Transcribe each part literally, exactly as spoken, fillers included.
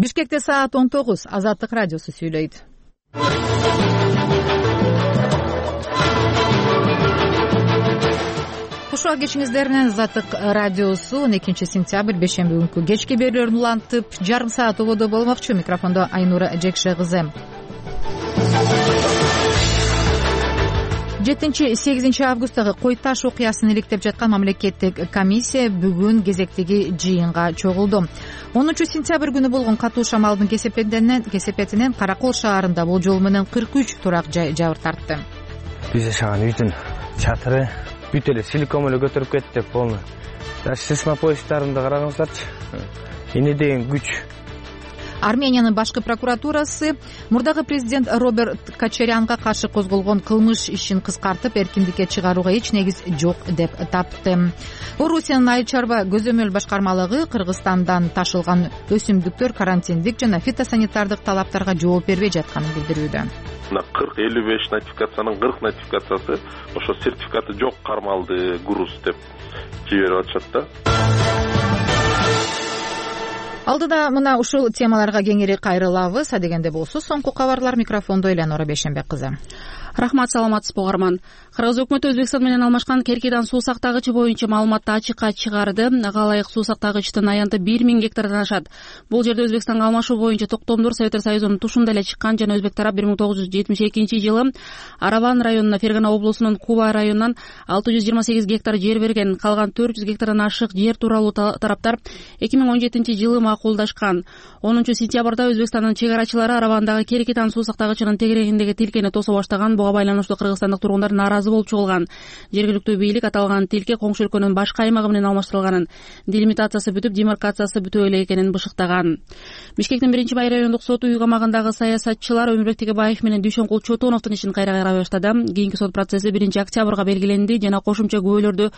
Бишкекте саат он тогуз. Азаттык радиосу сүйлөйт. Кушуа кечиңиздер менен Азаттык радиосу он экинчи сентябрь бешемби күнкү кечки берүүлөрүн улантып жарым саат ободо болмокчу. Микрофондо Айнура Жекше кызы. жетинчи сегизинчи августтагы Кой Таш окуясын иликтеп жаткан мамлекеттик комиссия бүгүн кезектеги жыйынга чогулду. онунчу сентябрь күнү болгон катуу шамалдын кесепетинен Каракол шаарында болжол менен кырк үч турак жай жабыр тартты. Биз жашаган үйдүн чатыры бүт эле силикон эле көтөрүп кетти полный. Даже сейсмопоездарында карагаңыздарчы. Эне деген күч. Армениянын башкы прокуратурасы мурдагы президент Роберт Кочарянга каршы козголгон кылмыш ишин кыскартып, эркиндикке чыгарууга эч негиз жок деп тапты. Орусиянын айыл чарба көзөмөл башкармалыгы Кыргызстандан ташылган өсүмдүктөр карантиндик жана фитосанитардык талаптарга жооп бербей жатканын билдирүүдө. кырк элүү беш нотификациянын кырк нотификациясы ошо сертификаты жок кармалды груз деп жиберип атышат да. Алдыда мына ушул темаларга кеңири кайрылабыз. Адегенде болсо соңку кабарлар. Микрофондо Элянора Бешембек кызы. Рахмат, саламатсызбы угарман. Кыргыз өкмөтү Өзбекстан менен алмашкан Керкидан суу сактагычы боюнча маалыматты ачыкка чыгарды. Ага ылайык суу сактагычтын аянты бир миң гектардан ашат. Бул жерде Өзбекстанга алмашуу боюнча токтомдор Советтер Союзунун тушунда эле чыккан жана өзбек тарап бир миң тогуз жүз жетимиш экинчи жылы Араван районуна, Фергана облусунун Куба районунан алты жүз жыйырма сегиз гектар жер берген. Калган төрт жүз гектардан ашык жер тууралуу тараптар эки миң он жетинчи жылы макулдашкан. онунчу сентябрда Өзбекстандын чек арачылары Аравандагы Керкитан суу сактагычынын тегерегиндеги тилкени тосо баштаган. Буга байланыштуу кыргызстандык тургундар нааразы болуп чыгылган. Жергиликтүү бийлик аталган тилке коңшу өлкөнүн башка аймагы менен алмаштырылганын, делимитациясы бүтүп, демаркациясы бүтүп эле экенин бышыктаган. Бишкектин биринчи бай райондук соту үй камагындагы саясатчылар Өмүрбек Тегебаев менен Дүйшөнкул Чотоновдун ишин кайра карай баштады. Кийинки сот процесси биринчи октябрга белгиленди жана кошумча күбөлөрдү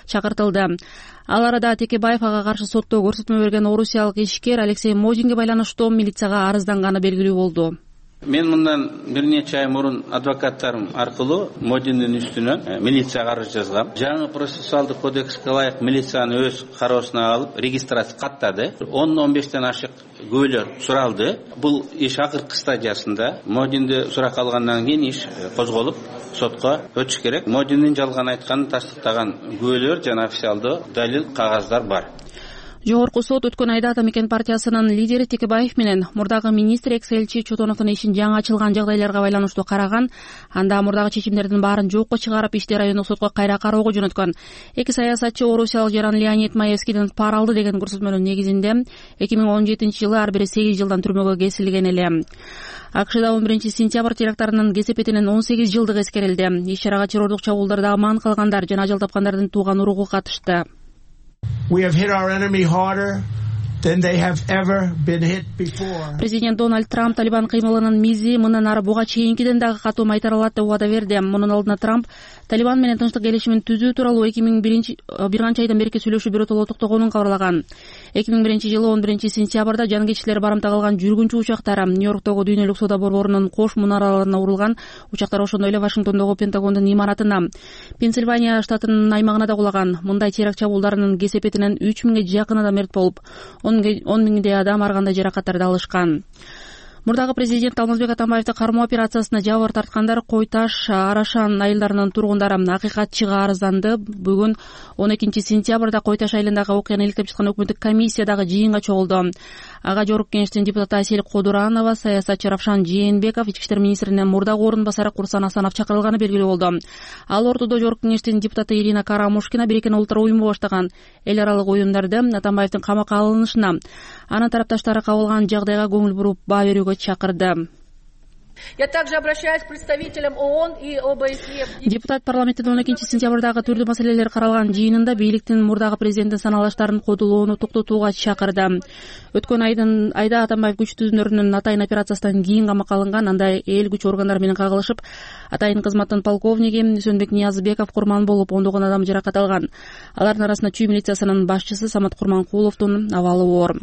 чакыртылды. Ал арада Текебаев ага каршы сотто көрсөтмө берген орусиялык ишкер Алексей Модинге байланыштуу милицияга арызданганы белгилүү болду. Мен мындан бир нече ай мурун адвокаттарым аркылуу Модиндин үстүнөн милицияга арыз жазгам. Жаңы процессуалдык кодекске ылайык милицияны өз кароосуна алып регистрация каттады. он он бештен ашык күбөлөр суралды. Бул иш акыркы стадиясында. Модинди суракка алгандан кийин иш козголуп сотко өтүш керек. Модиндин жалган айтканын тастыктаган күбөлөр жана официалдуу далил кагаздар бар. Жогорку сот өткөн айда Ата Мекен партиясынын лидери Текебаев менен мурдагы министр экс-элчи Чотоновдун ишин жаңы ачылган жагдайларга байланыштуу караган. Анда мурдагы чечимдердин баарын жокко чыгарып, ишти райондук сотко кайра кароого жөнөткөн. Эки саясатчы орусиялык жаран Леонид Маевскийден пара алды деген көрсөтмөнүн негизинде эки миң он жетинчи жылы ар бири сегиз жылдан түрмөгө кесилген эле. АКШда он биринчи сентябрь теракттарынын кесепетинен он сегиз жылдык эскерилди. Иш-чарага террордук чабуулдарда аман калгандар жана ажал тапкандардын тууган уругу катышты. We have hit our enemy harder than they have ever been hit before. Президент Дональд Трамп Талибан кыймылынын мизи мындан ары буга чейинкиден дагы катуу майтаралат деп убада берди. Мунун алдына Трамп Талибан менен тынчтык келишимин түзүү тууралуу эки миң биринчи бир канча айдан берки сүйлөшүү биротоло токтогонун кабарлаган. эки миң биринчи жылы он биринчи сентябрда жангеччилер барымта кылган жүргүнчү учактары Нью-Йорктогу дүйнөлүк соода борборунун кош мунараларына урулган. Учактар ошондой эле Вашингтондогу Пентагондун имаратына, Пенсильвания штатынын аймагына да кулаган. Мындай теракт чабуулдарынын кесепетинен үч миңге жакын адам мерт болуп, он миңдей адам ар кандай жаракаттарды алышкан. Мурдагы президент Алмазбек Атамбаевди кармоо операциясына жабыр тарткандар Кой Таш, Арашан айылдарынын тургундары акыйкатчыга арызданды. Бүгүн он экинчи сентябрда Кой Таш айылындагы окуяны иликтеп жаткан өкмөттүк комиссия дагы жыйынга чогулду. Ага Жогорку Кеңештин депутаты Асель Кодуранова, саясатчы Равшан Жээнбеков, ички иштер министринин мурдагы орун басары Курсан Асанов чакырылганы белгилүү болду. Ал ортодо Жогорку Кеңештин депутаты Ирина Карамушкина Бириккен Улуттар уюму баштаган эл аралык оюндарды Атамбаевдин камакка алынышына, анын тарапташтары кабылган жагдайга көңүл буруп баа берүүгө чакырды. Я также обращаюсь к представителям ООН и ОБСЕ. Депутат парламенттин он экинчи сентябрдагы түрдүү маселелер каралган жыйынында бийликтин мурдагы президенттин саналаштарын кодулоону токтотууга чакырды. Өткөн айдын айда Атамбаев күч түзүнөрүнүн Атайын операциясынан кийин камакка алынган. Анда эл күч органдары менен кагылышып, Атайын кызматтын полковниги Сөөнбек Ниязбеков курман болуп, ондогон адам жаракат алган. Алардын арасында Чүй милициясынын башчысы Самат Курманкуловдун абалы оор.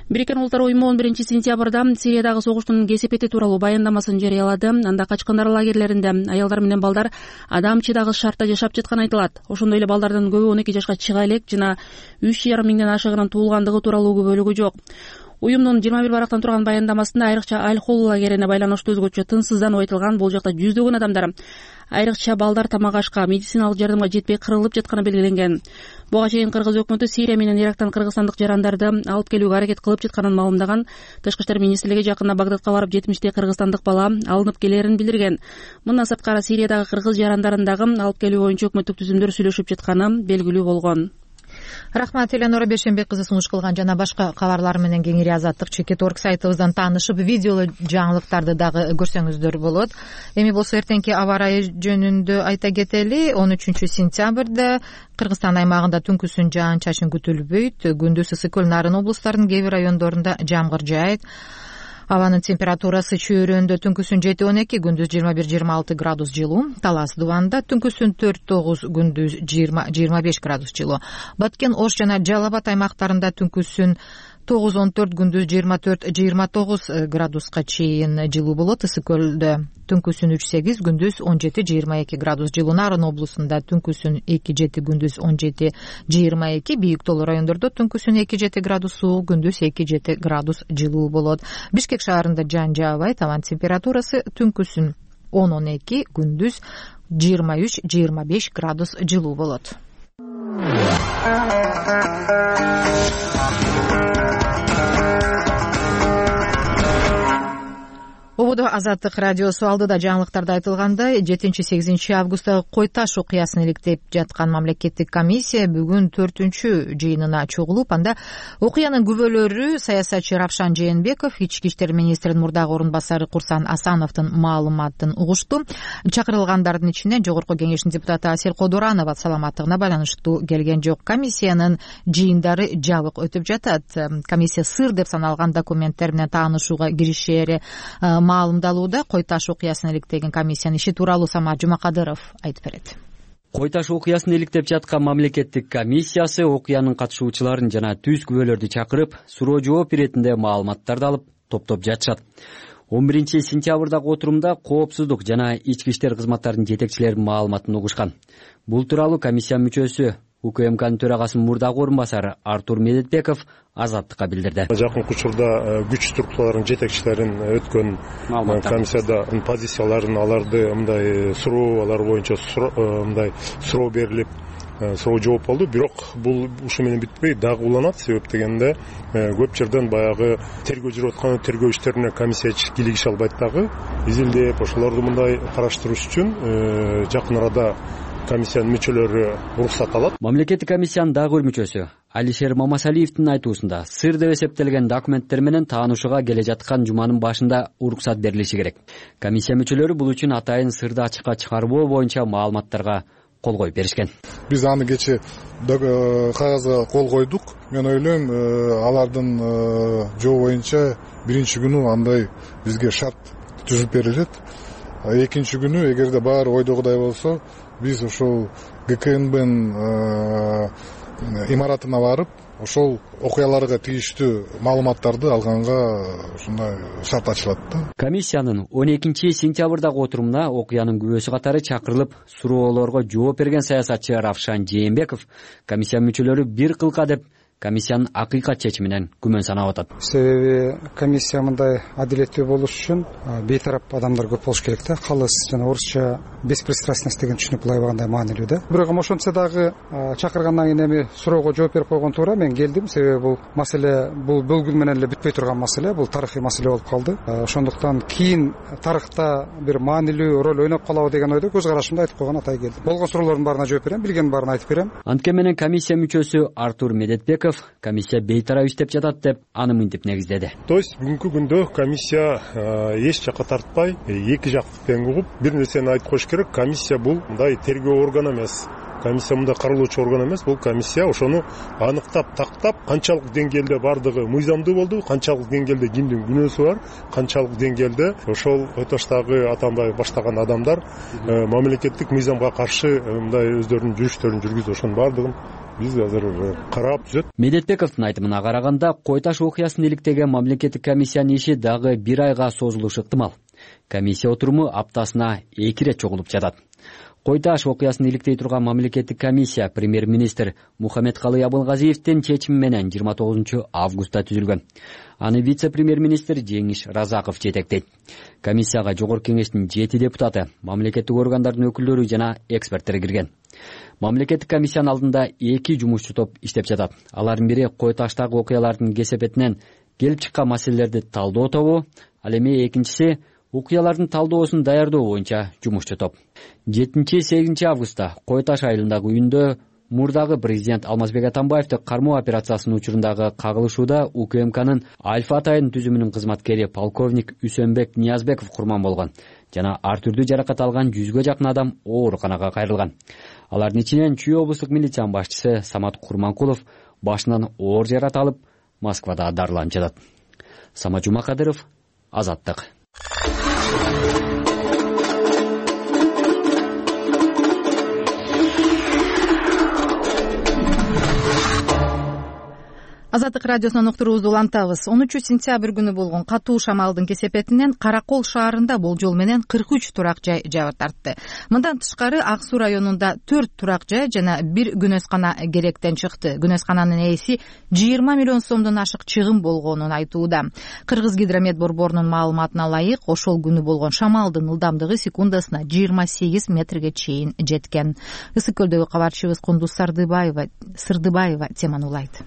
Бириккен Улуттар уюму он биринчи сентябрда Сириядагы согуштун кесепети тууралуу баяндамасын жарыялады. Анда качкындар лагерлеринде аялдар менен балдар адам чыдагыс шартта жашап жатканы айтылат. Ошондой эле балдардын көбү он эки жашка чыга элек жана үч жарым миңден ашыгынын туулгандыгы тууралуу күбөлүгү жок. уюмдун жыйырма бир барактан турган баяндамасында айрыкча алкол лагерине байланыштуу өзгөчө тынчсыздануу айтылган. Бул жакта жүздөгөн адамдар, айрыкча балдар тамак ашка, медициналык жардамга жетпей кырылып жатканы белгиленген. Буга чейин Кыргыз өкмөтү Сирия менен Ирактан кыргызстандык жарандарды алып келүүгө аракет кылып жатканын маалымдаган. Тышкы иштер министрлиги жакында Багдадка барып жетимиштей кыргызстандык бала алынып келерин билдирген. Мындан сырткары Сириядагы кыргыз жарандарын дагы алып келүү боюнча өкмөттүк түзүмдөр сүйлөшүп жатканы белгилүү болгон. Рахмат, Эленора Бешенбек кызы сунуш кылган. Жана башка кабарлар менен кеңири Азаттык чекит орг сайтыбыздан таанышып, видеолуу жаңылыктарды дагы көрсөңүздөр болот. Эми болсо эртеңки аба ырайы жөнүндө айта кетели. он үчүнчү сентябрда Кыргызстан аймагында түнкүсүн жаан-чачын күтүлбөйт. Күндүз ысык Нарын облустарынын кээ бир райондорунда жамгыр жаайт. Абанын температурасы Чөйрөндө түнкүсүн жети он эки, күндүз жыйырма бир жыйырма алты градус жылуу. Талас Дубанда түнкүсүн төрт тогуз, күндүз жыйырма жыйырма беш градус жылуу. Баткен, Ош жана Жалал Абад аймактарында түнкүсүн тогуз он төрт, күндүз жыйырма төрт жыйырма тогуз градуска чейин жылуу болот. Ысык көлдө түнкүсүн үч сегиз, күндүз он жети жыйырма эки градус жылуу. Нарын облусунда түнкүсүн эки жети, күндүз он жети жыйырма эки. Бийик тоолуу райондордо түнкүсүн эки жети градус суук, күндүз эки жети градус жылуу болот. Бишкек шаарында жаан жаабайт. Абанын температурасы түнкүсүн он он эки, күндүз жыйырма үч жыйырма беш градус жылуу болот. Ободо Азаттык радиосу алдыда жаңылыктарда айтылгандай, жетинчи сегизинчи августтагы Кой Таш окуясын иликтеп жаткан мамлекеттик комиссия бүгүн төртүнчү жыйынына чогулуп, анда окуянын күбөлөрү саясатчы Равшан Жээнбеков, ички иштер министринин мурдагы орун басары Курсан Асановдун маалыматын угушту. Чакырылгандардын ичинен Жогорку Кеңештин депутаты Асель Кодуранова саламаттыгына байланыштуу келген жок. Комиссиянын жыйындары жабык өтүп жатат. Комиссия сыр деп саналган документтер менен таанышууга киришери маалымдалууда. Кой Таш окуясын иликтеген комиссиянын иши тууралуу Самат Жумакадыров айтып берет. Кой Таш окуясын иликтеп жаткан мамлекеттик комиссиясы окуянын катышуучуларын жана түз күбөлөрдү чакырып, суроо жооп иретинде маалыматтарды алып топтоп жатышат. он биринчи сентябрдагы отурумда коопсуздук жана ички иштер кызматтарынын жетекчилеринин маалыматын угушкан. Бул тууралуу комиссия мүчөсү УКМКнын төрагасынын мурдагы орун басары Артур Медетбеков Азаттыкка билдирди. Жакынкы учурда күч структураларынын жетекчилерин өткөн комиссияда позицияларын, аларды мындай суроолор боюнча мындай суроо берилип, суроо жооп болду. Бирок бул ушу менен бүтпөй дагы уланат. Себеп дегенде көп жерден баягы тергөө жүрүп аткан тергөө иштерине комиссия кийлигише албайт дагы. Изилдеп ошолорду мындай караштырыш үчүн жакын арада комиссиянын мүчөлөрү уруксат алат. Мамлекеттик комиссиянын дагы бир мүчөсү Алишер Мамасалиевдин айтуусунда сыр деп эсептелген документтер менен таанышууга келе жаткан жуманын башында уруксат берилиши керек. Комиссия мүчөлөрү бул үчүн атайын сырды ачыкка чыгарбоо боюнча маалыматтарга кол коюп беришкен. Биз аны кече кагазга кол койдук. Мен ойлойм, алардын жоо боюнча биринчи күнү андай бизге шарт түзүп берилет. Экинчи күнү эгерде баары ойдогудай болсо, биз ошол ГКНБнын имаратына барып, ошол окуяларга тийиштүү маалыматтарды алганга ушундай шарт ачылат да. Комиссиянын он экинчи сентябрдагы отурумуна окуянын күбөсү катары чакырылып, суроолорго жооп берген саясатчы Равшан Жээнбеков комиссия мүчөлөрү бир кылка деп комиссиянын акыйкат чечиминен күмөн санап атат. Себеби комиссия мындай адилеттүү болуш үчүн бейтарап адамдар көп болуш керек да. Калыс жана орусча беспристрастность деген түшүнүк булай багандай маанилүү да. Бирок ошончо дагы чакыргандан кийин эми суроого жооп берип койгон туура. Мен келдим, себеби бул маселе бул бөлгүн менен эле бүтпөй турган маселе, бул тарыхый маселе болуп калды. Ошондуктан кийин тарыхта бир маанилүү роль ойноп калабы деген ойдо көз карашымды айтып койгон атай келдим. Болгон суроолордун баарына жооп берем, билгендин баарын айтып берем. Антке менен комиссия мүчөсү Артур Медетбеков комиссия бейтарап иштеп жатат деп аны мынтип негиздеди. То есть бүгүнкү күндө комиссия эч жакка тартпай, эки жактык тең угуп, бир нерсени айтып коюш керек. Комиссия бул мындай тергөө органы эмес. Комиссия мында каралуучу орган эмес. Бул комиссия ошону аныктап, тактап, канчалык деңгээлде бардыгы мыйзамдуу болду, канчалык деңгээлде кимдин күнөөсү бар, канчалык деңгээлде ошол Кой Таштагы Атамбаев баштаган адамдар мамлекеттик мыйзамга каршы мындай өздөрүнүн жүрүштөрүн жүргүзүп, ошонун бардыгын биз азыр карап түзөт. Медетбековдун айтымына караганда, Кой Таш окуясын иликтеген мамлекеттик комиссиянын иши дагы бир айга созулушу ыктымал. Комиссия отуруму аптасына эки ирет чогулуп жатат. Кой таш окуясын иликтей турган мамлекеттик комиссия премьер-министр Мухаммедкалый Абылгазиевдин чечими менен жыйырма тогузунчу августта түзүлгөн. Аны вице-премьер-министр Жеңиш Разаков жетектейт. Комиссияга жогорку кеңештин жети депутаты, мамлекеттик органдардын өкүлдөрү жана эксперттер кирген. Мамлекеттик комиссиянын алдында эки жумушчу топ иштеп жатат. Алардын бири Кой таштагы окуялардын кесепетинен келип чыккан маселелерди талдоо тобу, ал эми экинчиси окуялардын талдоосун даярдоо боюнча жумушчу топ. жетинчи сегизинчи августта Кой таш айылындагы үйүндө мурдагы президент Алмазбек Атамбаевди кармоо операциясынын учурундагы кагылышууда УКМКнын Альфа Атайын түзүмүнүн кызматкери полковник Үсөнбек Ниязбеков курман болгон жана ар түрдүү жаракат алган жүзгө жакын адам ооруканага кайрылган. Алардын ичинен Чүй облустук милициянын башчысы Самат Курманкулов башынан оор жаракат алып Москвада дарыланып жатат. Самат Жумакадыров, Азаттык. Азаттык радиосунан уктуруубузду улантабыз. он үчүнчү сентябрь күнү болгон катуу шамалдын кесепетинен Каракол шаарында болжол менен кырк үч турак жай жабыр тартты. Мындан тышкары Ак Суу районунда төрт турак жай жана бир күнөскана керектен чыкты. Күнөскананын ээси жыйырма миллион сомдон ашык чыгым болгонун айтууда. Кыргыз гидромет борборунун маалыматына ылайык, ошол күнү болгон шамалдын ылдамдыгы секундасына жыйырма сегиз метрге чейин жеткен. Ысык көлдөгү кабарчыбыз Кундуз Сырдыбаева Сырдыбаева теманы улайт.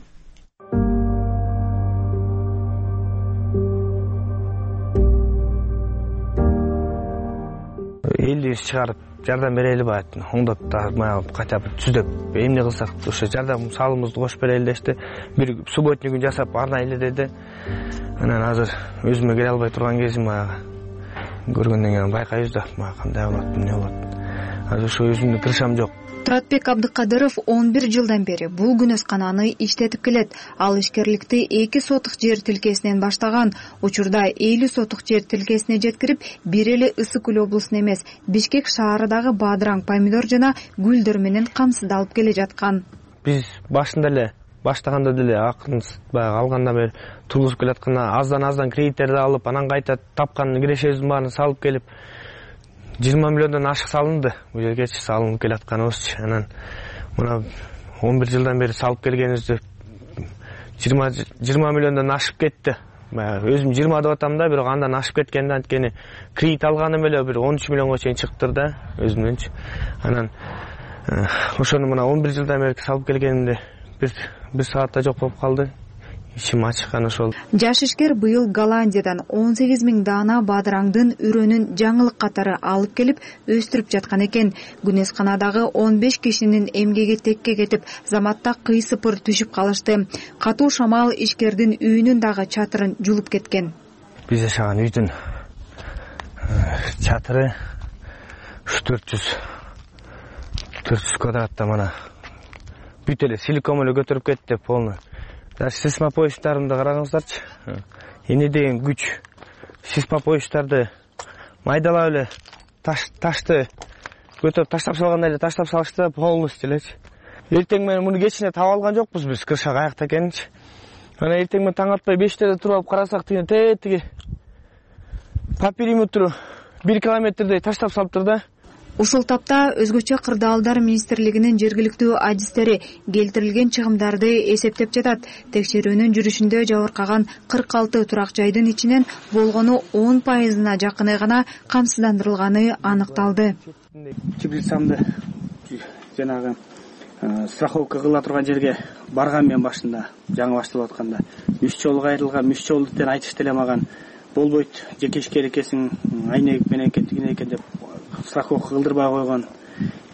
Элди чыгарып жардам берели баат, оңдоп баягы кача бир түздөп эмне кылсак ошо жардам салымыбызды кошуп берели дешти. Бир субботник күн жасап арна эле деди. Анан азыр өзүмө келе албай турган кезим баягы көргөндөн кийин байкайбыз да, кандай болот, эмне болот. Азыр ошо өзүмдүн крышам жок. Туратбек Абдыкадыров он бир жылдан бери бул күнөскананы иштетип келет. Ал ишкерликти эки сотук жер тилкесинен баштаган. Учурда элүү сотук жер тилкесине жеткирип, бир эле Ысык Көл облусуна эмес, Бишкек шаарындагы бадыраң, помидор жана гүлдөр менен камсыздалып келе жаткан. Биз башында эле баштаганда деле акырын баягы алгандан бери тургузуп келатканда аздан-аздан кредиттерди алып, анан кайта тапкан кирешебиздин баарын салып келип жыйырма миллиондон ашык салынды. Бул жергечи салынып келатканыбыз. Анан мына он бир жылдан бери салып келгенибизди жыйырма миллиондон ашып кетти. Өзүм жыйырма деп атам да, бирок андан ашып кеткен да, анткени кредит алганым эле бир он үч миллионго чейин чыктыр да өзүмдөнчү. Анан ошону мына он бир жылдан бери салып келгенимди бир бир саатта жок болуп калды. Ишим ачыккан ошол. Жаш ишкер быйыл Голландиядан он сегиз миң даана бадыраңдын үрөнүн жаңылык катары алып келип өстүрүп жаткан экен. Күнөсканадагы он беш кишинин эмгеги текке кетип, заматта кыйсыпыр түшүп калышты. Катуу шамал ишкердин үйүнүн дагы чатырын жулуп кеткен. Биз жашаган үйдүн чатыры төрт жүз квадратта мына бүт эле силикон эле көтөрүп кетти полный. Даже сисмопоечтарымды караңыздарчы. Эмне деген күч. Сисмопоечтарды майдалап эле таш ташты көтөрүп таштап салгандай эле таштап салышты полностью элечи. Эртең менен муну кечине таап алган жокпуз биз, крыша каякта экенинчи. Анан эртең менен таң атпай бештеде туруп алып карасак тиги тетиги по периметру бир километрдей таштап салыптыр да. Ушул тапта өзгөчө кырдаалдар министрлигинин жергиликтүү адистери келтирилген чыгымдарды эсептеп жатат. Текшерүүнүн жүрүшүндө жабыркаган кырк алты турак жайдын ичинен болгону он пайызына жакыны гана камсыздандырылганы аныкталды. Теплицамды жанагы страховка кыла турган жерге барган мен башында, жаңы башталып атканда үч жолу кайрылган, үч жолу деп айтышты эле мага. Болбойт, жеке ишкер экесиң, айнек менен экен, тигине экен деп страховка кылдырбай койгон.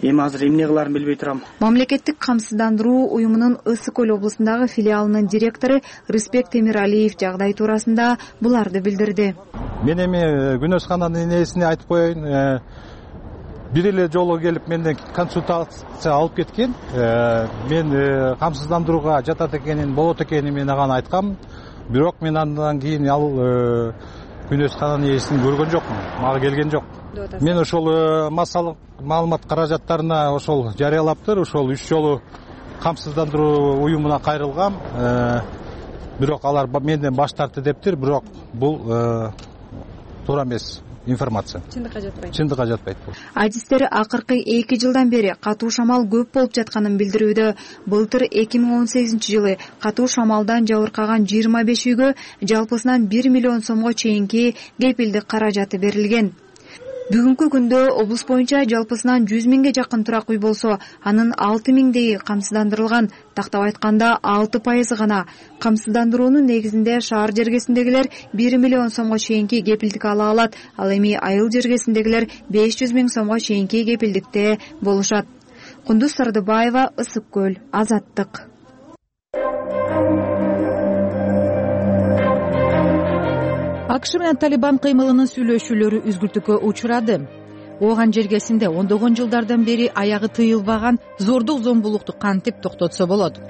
Эми азыр эмне кыларын билбей турам. Мамлекеттик камсыздандыруу уюмунун Ысык Көл облусундагы филиалынын директору Рыспек Темиралиев жагдай туурасында буларды билдирди. Мен эми күнөскананын ээсине айтып коеюн. Бир эле жолу келип менден консультация алып кеткен. Мен камсыздандырууга жатат экенин, болот экенин мен ага айткам. Бирок мен андан кийин ал күнөскананын ээсин көргөн жокмун. Мага келген жок. Мен ошол массалык маалымат каражаттарына ошол жарыялаптыр. Ошол үч жолу камсыздандыруу уюмуна кайрылгам. Бирок алар менден баш тартты дептир. Бирок бул туура эмес. информация. Чындыкка жатпайт. Чындыкка жатпайт бул. Адистер акыркы эки жылдан бери катуу шамал көп болуп жатканын билдирүүдө. Былтыр эки миң он сегизинчи жылы катуу шамалдан жабыркаган жыйырма беш үйгө жалпысынан бир миллион сомго чейинки кепилдик каражаты берилген. Бүгүнкү күндө облус боюнча жалпысынан жүз миңге жакын турак үй болсо, анын алты миңдеги камсыздандырылган. Тактап айтканда алты пайызы гана. Камсыздандыруунун негизинде шаар жергесиндегилер бир миллион сомго чейинки кепилдик ала алат, ал эми айыл жергесиндегилер беш жүз миң сомго чейинки кепилдикте болушат. Кундуз Сардыбаева, Ысык көл, Азаттык. АКШ менен Талибан кыймылынын сүйлөшүүлөрү үзгүлтүккө учурады. Ооган жергесинде ондогон жылдардан бери аягы тыйылбаган зордук зомбулукту кантип токтотсо болот?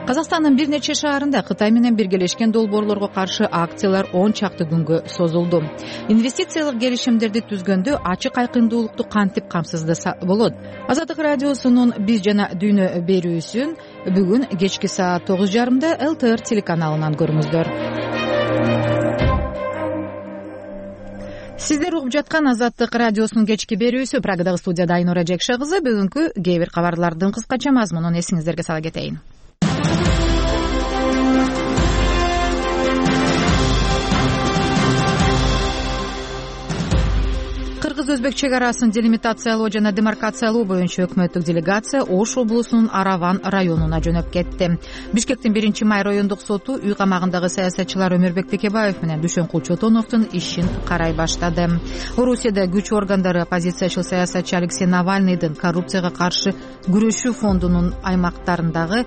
Казакстандын бир нече шаарында Кытай менен биргелешкен долбоорлорго каршы акциялар он чакты күнгө созулду. Инвестициялык келишимдерди түзгөндө ачык айкындуулукту кантип камсыздаса болот? Азаттык радиосунун Биз жана дүйнө берүүсүн бүгүн кечки саат тогуз жарымда эл тэ эр телеканалынан көрүңүздөр. Сиздер угуп жаткан Азаттык радиосунун кечки берүүсү. Прагадагы студияда Айнура Жекше кызы. Бүгүнкү кээ бир кабарлардын кыскача мазмунун эсиңиздерге сала кетейин. Кыргыз-өзбек чек арасын делимитациялоо жана демаркациялоо боюнча өкмөттүк делегация Ош облусунун Араван районуна жөнөп кетти. Бишкектин биринчи май райондук соту үй камагындагы саясатчылар Өмүрбек Текебаев менен Дүйшөнкул Чотоновдун ишин карай баштады. Орусияда күч органдары оппозициячыл саясатчы Алексей Навальныйдын коррупцияга каршы күрөшүү фондунун аймактарындагы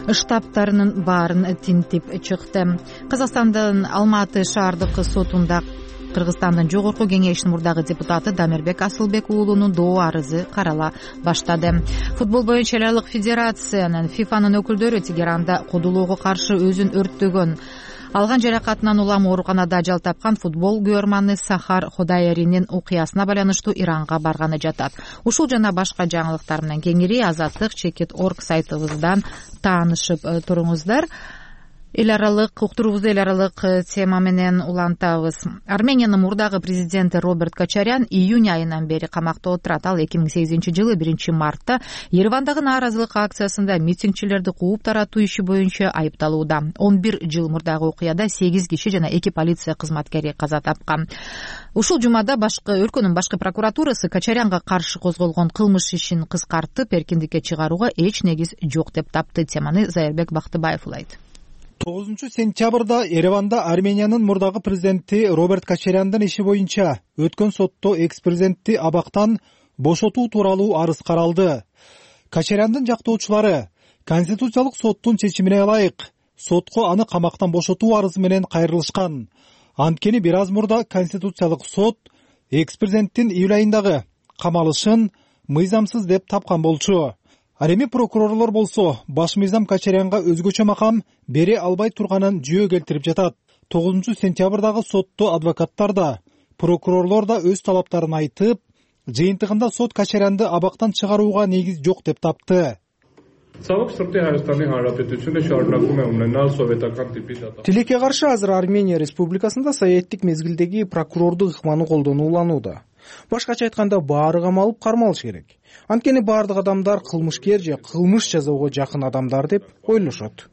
штабтарынын баарын тинтип чыкты. Казакстандын Алматы шаардык сотунда Кыргызстандын жогорку кеңешинин мурдагы депутаты Дамирбек Асылбек уулунун доо арызы карала баштады. Футбол боюнча эл аралык федерациянын ФИФАнын өкүлдөрү Тегеранда кодулоого каршы өзүн өрттөгөн, алган жаракатынан улам ооруканада ажал тапкан футбол күйөрманы Сахар Ходаеринин окуясына байланыштуу Иранга барганы жатат. Ушул жана башка жаңылыктар менен кеңири Азаттык чекит точка орг сайтыбыздан таанышып туруңуздар. Эл аралык уктуруубузду эл аралык тема менен улантабыз. Армениянын мурдагы президенти Роберт Качарян июнь айынан бери камакта отурат. Ал эки миң сегизинчи жылы биринчи мартта Еревандагы нааразылык акциясында митингчилерди кууп таратуу иши боюнча айыпталууда. он бир жыл мурдагы окуяда сегиз киши жана эки полиция кызматкери каза тапкан. Ушул жумада башкы өлкөнүн башкы прокуратурасы Качарянга каршы козголгон кылмыш ишин кыскартып, эркиндикке чыгарууга эч негиз жок деп тапты. Теманы Зайырбек Бактыбаев улайт. тогузунчу сентябрда Ереванда Армениянын мурдагы президенти Роберт Качаряндын иши боюнча өткөн сотто экс-президентти абактан бошотуу тууралуу арыз каралды. Качаряндын жактоочулары Конституциялык соттун чечимине ылайык сотко аны камактан бошотуу арызы менен кайрылышкан. Анткени бир аз мурда Конституциялык сот экс-президенттин июль айындагы камалышын мыйзамсыз деп тапкан болчу. Ал эми прокурорлор болсо баш мыйзам Качарянга өзгөчө макам бере албай турганын жүйө келтирип жатат. тогузунчу сентябрдагы сотто адвокаттар да, прокурорлор да өз талаптарын айтып, жыйынтыгында сот Качарянды абактан чыгарууга негиз жок деп тапты. Тилекке каршы азыр Армения Республикасында саяттык мезгилдеги прокурордук ыкманы колдонуланууда. Башкача айтканда баары камалып кармалыш керек. Анткени баардык адамдар кылмышкер же кылмыш жасоого жакын адамдар деп ойлошот.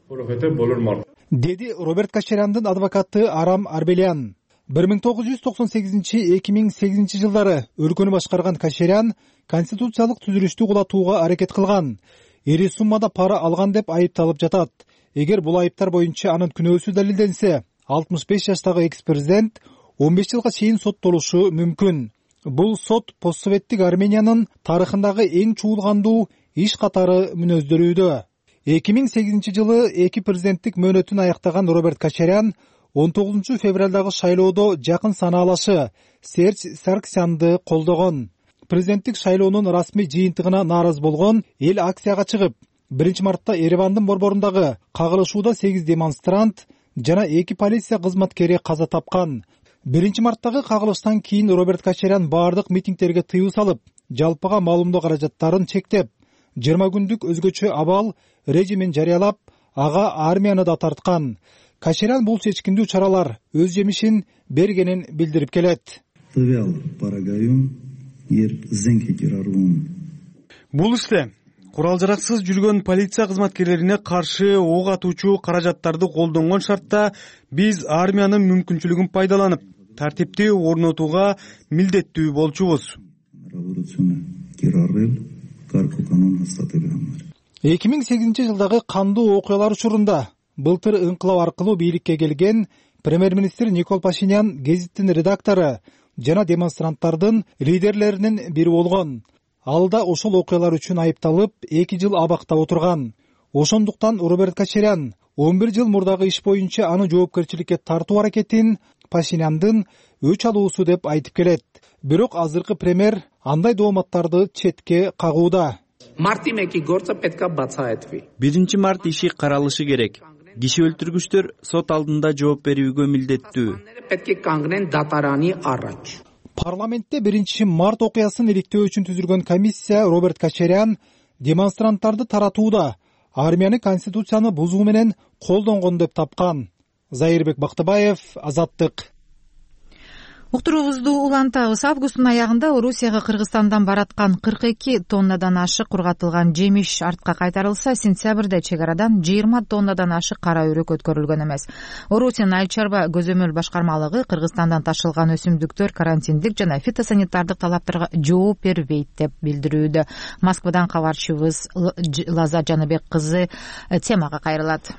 Деди Роберт Качаряндын адвокаты Арам Арбелян. бир миң тогуз жүз токсон сегизинчи — эки миң сегизинчи жылдары өлкөнү башкарган Качарян конституциялык түзүлүштү кулатууга аракет кылган, ири суммада пара алган деп айыпталып жатат. Эгер бул айыптар боюнча анын күнөөсү далилденсе, алтымыш беш жаштагы экс-президент он беш жылга чейин соттолушу мүмкүн. Бул сот постсоветтик Армениянын тарыхындагы эң чуулгандуу иш катары мүнөздөрүүдө. эки миң сегизинчи жылы эки президенттик мөөнөтүн аяктаган Роберт Качарян он тогузунчу февралдагы шайлоодо жакын санаалашы Серж Сарксянды колдогон. Президенттик шайлоонун расмий жыйынтыгына нааразы болгон эл акцияга чыгып, биринчи мартта Еревандын борборундагы кагылышууда сегиз демонстрант жана эки полиция кызматкери каза тапкан. биринчи марттагы кагылыштан кийин Роберт Качарян баардык митингтерге тыюу салып, жалпыга маалымдоо каражаттарын чектеп, жыйырма күндүк өзгөчө абал режимин жарыялап, ага армияны да тарткан. Качарян бул чечкиндүү чаралар өз жемишин бергенин билдирип келет. Бул иште курал жараксыз жүргөн полиция кызматкерлерине каршы ок атуучу каражаттарды колдонгон шартта биз армиянын мүмкүнчүлүгүн пайдаланып тартипти орнотууга милдеттүү болчубуз. эки миң сегизинчи жылдагы кандуу окуялар учурунда былтыр ыңкылап аркылуу бийликке келген премьер-министр Никол Пашинян гезиттин редактору жана демонстранттардын лидерлеринин бири болгон. Ал да ошол окуялар үчүн айыпталып, эки жыл абакта отурган. Ошондуктан Роберт Кочарян он бир жыл мурдагы иш боюнча аны жоопкерчиликке тартуу аракетин Пашиняндын өч алуусу деп айтып келет. Бирок азыркы премьер андай дооматтарды четке кагууда. биринчи март иши каралышы керек. Киши өлтүргүчтөр сот алдында жооп берүүгө милдеттүү. Парламентте биринчи март окуясын иликтөө үчүн түзүлгөн комиссия Роберт Кочарян демонстранттарды таратууда армияны конституцияны бузуу менен колдонгон деп тапкан. Зайырбек Бактыбаев, Азаттык. Уктуруубузду улантабыз. Августтун аягында Орусияга Кыргызстандан бараткан кырк эки тоннадан ашык кургатылган жемиш артка кайтарылса, сентябрда чек арадан жыйырма тоннадан ашык кара өрүк өткөрүлгөн эмес. Орусиянын айыл чарба көзөмөл башкармалыгы Кыргызстандан ташылган өсүмдүктөр карантиндик жана фитосанитардык талаптарга жооп бербейт деп билдирүүдө. Москвадан кабарчыбыз Лаза Жаныбек кызы темага кайрылат.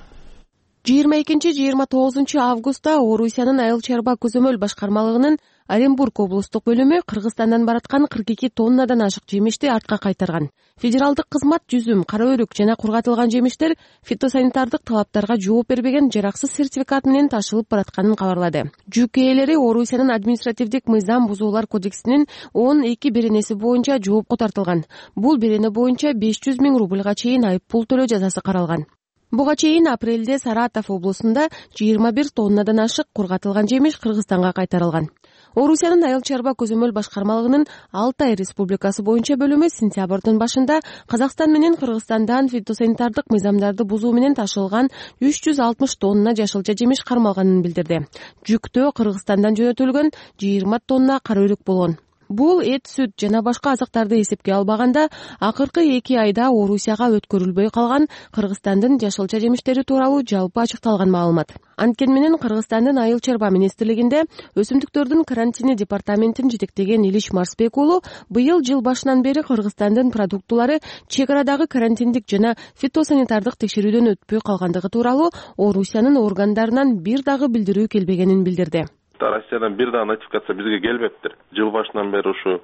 жыйырма экинчи жыйырма тогузунчу августта Орусиянын айыл чарба көзөмөл башкармалыгынын Оренбург облустук бөлүмү Кыргызстандан бараткан кырк эки тоннадан ашык жемишти артка кайтарган. Федералдык кызмат жүзүм, кара өрүк жана кургатылган жемиштер фитосанитардык талаптарга жооп бербеген жараксыз сертификат менен ташылып баратканын кабарлады. Жүк ээлери Орусиянын административдик мыйзам бузуулар кодексинин он эки беренеси боюнча жоопко тартылган. Бул берене боюнча беш жүз миң рубльга чейин айып пул төлөө жазасы каралган. Буга чейин апрелде Саратов облусунда жыйырма бир тоннадан ашык кургатылган жемиш Кыргызстанга кайтарылган. Орусиянын айыл чарба көзөмөл башкармалыгынын Алтай Республикасы боюнча бөлүмү сентябрдын башында Казакстан менен Кыргызстандан фитосанитардык мыйзамдарды бузуу менен ташылган үч жүз алтымыш тонна жашылча жемиш кармалганын билдирди. Жүктө Кыргызстандан жөнөтүлгөн жыйырма тонна кара өрүк болгон. Бул эт, сүт жана башка азыктарды эсепке албаганда, акыркы эки айда Орусияга өткөрүлбөй калган Кыргызстандын жашылча жемиштери тууралуу жалпы ачыкталган маалымат. Анткени менен Кыргызстандын айыл чарба министрлигинде өсүмдүктөрдүн карантини департаментин жетектеген Илиш Марсбек уулу быйыл жыл башынан бери Кыргызстандын продуктулары чек арадагы карантиндик жана фитосанитардык текшерүүдөн өтпөй калгандыгы тууралуу Орусиянын органдарынан бир дагы билдирүү келбегенин билдирди. Россиядан бир да нотификация бизге келбептир. Жыл башынан бери ушу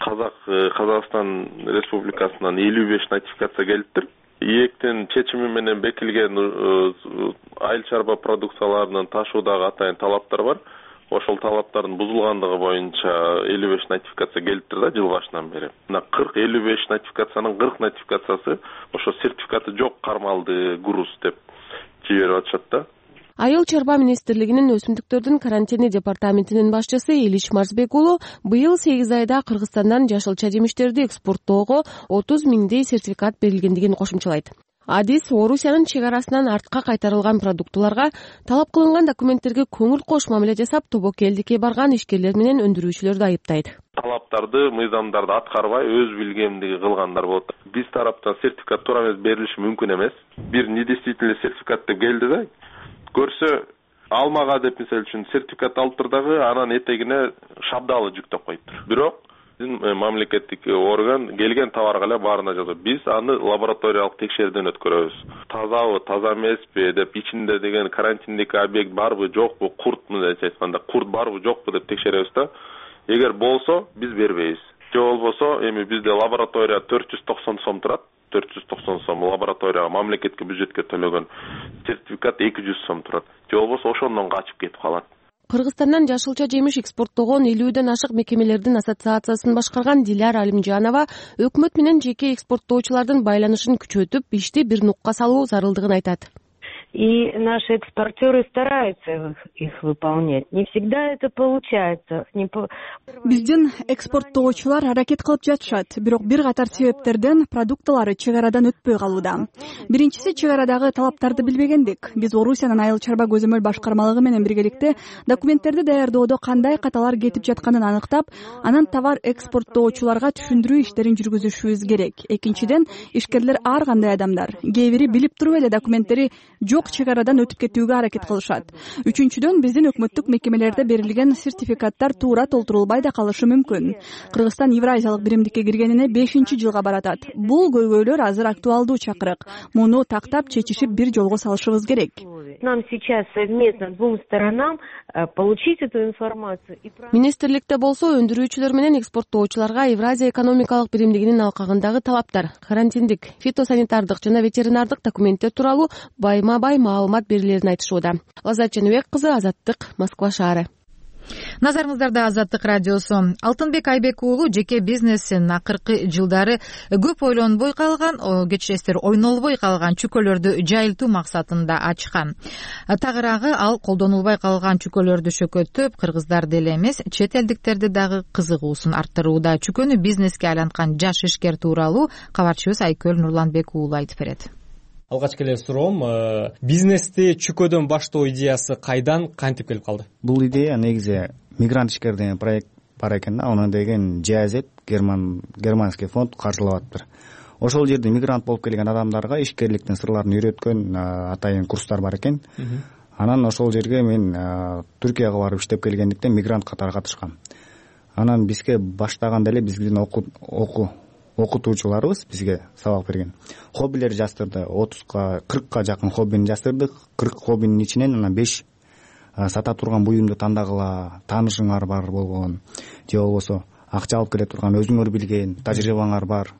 Казак Казакстан Республикасынан элүү беш нотификация келиптир. ИЭКтин чечими менен бекилген айыл чарба продукцияларынын ташуудагы атайын талаптар бар. Ошол талаптардын бузулгандыгы боюнча элүү беш нотификация келиптир да жыл башынан бери. Мына кырк элүү беш нотификациянын кырк нотификациясы ошо сертификаты жок кармалды груз деп жиберип атышат да. Айыл чарба министрлигинин өсүмдүктөрдүн карантини департаментинин башчысы Илиш Марсбек уулу быйыл сегиз айда Кыргызстандан жашылча жемиштерди экспорттоого отуз миңдей сертификат берилгендигин кошумчалайт. Адис Орусиянын чек арасынан артка кайтарылган продуктуларга талап кылынган документтерге көңүл кош мамиле жасап, тобокелдикке барган ишкерлер менен өндүрүүчүлөрдү айыптайт. Талаптарды, мыйзамдарды аткарбай, өз билгемдиги кылгандар болот. Биз тараптан сертификат туура эмес берилиши мүмкүн эмес. Бир недействительный сертификат деп келди да. Көрсө алмага деп мисалы үчүн сертификат алыптыр дагы анан этегине шабдалы жүктөп коюптур. Бирок биздин мамлекеттик орган келген товарга эле баарына жазат. Биз аны лабораториялык текшерүүдөн өткөрөбүз. Тазабы, таза эмеспи деп ичинде деген карантиндик объект барбы, жокпу, курт мындайча айтканда курт барбы, жокпу деп текшеребиз да. Эгер болсо биз бербейбиз. Же болбосо эми бизде лаборатория төрт жүз токсон сом турат. төрт жүз токсон сом лабораторияга мамлекетке бюджетке төлөгөн сертификат эки жүз сом турат. Же болбосо ошондон качып кетип калат. Кыргызстандан жашылча жемиш экспорттогон элүүдөн ашык мекемелердин ассоциациясын башкарган Диляра Алимжанова өкмөт менен жеке экспорттоочулардын байланышын күчөтүп, ишти бир нукка салуу зарылдыгын айтат. и наши экспортеры стараются их выполнять. Не всегда это получается. Биздин экспорттоочулар аракет кылып жатышат, бирок бир катар себептерден продуктылары чек арадан өтпөй калууда. Биринчиси чек арадагы талаптарды билбегендик. Биз Орусиянын айыл чарба көзөмөл башкармалыгы менен биргеликте документтерди даярдоодо кандай каталар кетип жатканын аныктап, анан товар экспорттоочуларга түшүндүрүү иштерин жүргүзүшүбүз керек. Экинчиден, ишкерлер ар кандай адамдар. Кээ бири билип туруп эле документтери жок чек арадан өтүп кетүүгө аракет кылышат. Үчүнчүдөн, биздин өкмөттүк мекемелерде берилген сертификаттар туура толтурулбай да калышы мүмкүн. Кыргызстан Евразиялык биримдикке киргенине бешинчи жылга баратат. Бул көйгөйлөр азыр актуалдуу чакырык. Муну тактап чечишип бир жолго салышыбыз керек. Нам сейчас совместно двум сторонам получить эту информацию. Министрликте болсо өндүрүүчүлөр менен экспорттоочуларга Евразия экономикалык биримдигинин алкагындагы талаптар, карантиндик, фитосанитардык жана ветеринардык документтер тууралуу байма бай маалымат берилерин айтышууда. Лаззат Жаныбек кызы, Азаттык, Москва шаары. Назарыңыздарда Азаттык радиосу. Алтынбек Айбек уулу жеке бизнесин акыркы жылдары көп ойлонбой калган, кечиресиздер, ойнолбой калган чүкөлөрдү жайылтуу максатында ачкан. Тагыраагы ал колдонулбай калган чүкөлөрдү шөкөттөп, кыргыздарды эле эмес, чет элдиктерди дагы кызыгуусун арттырууда. Чүкөнү бизнеске айланткан жаш ишкер тууралуу кабарчыбыз Айкөл Нурланбек уулу айтып берет. Алгачкы эле суроом, бизнести чүкөдөн баштоо идеясы кайдан, кантип келип калды? Бул идея негизи мигрант ишкер деген проект бар экен да, аны деген джи эй зет герман германский фонд каржылап атыптыр. Ошол жерде мигрант болуп келген адамдарга ишкерликтин сырларын үйрөткөн атайын курстар бар экен. Анан ошол жерге мен Түркияга барып иштеп келгендиктен мигрант катары катышкам. Анан бизге баштаганда эле биздин окуу окуу окутуучуларыбыз бизге сабак берген. Хоббилер жаздырды, отузга кыркка жакын хоббини жаздырдык. кырк хоббинин ичинен анан беш сата турган буюмду тандагыла, таанышыңар бар болгон, же болбосо акча алып келе турган өзүңөр билген, тажрыйбаңар бар,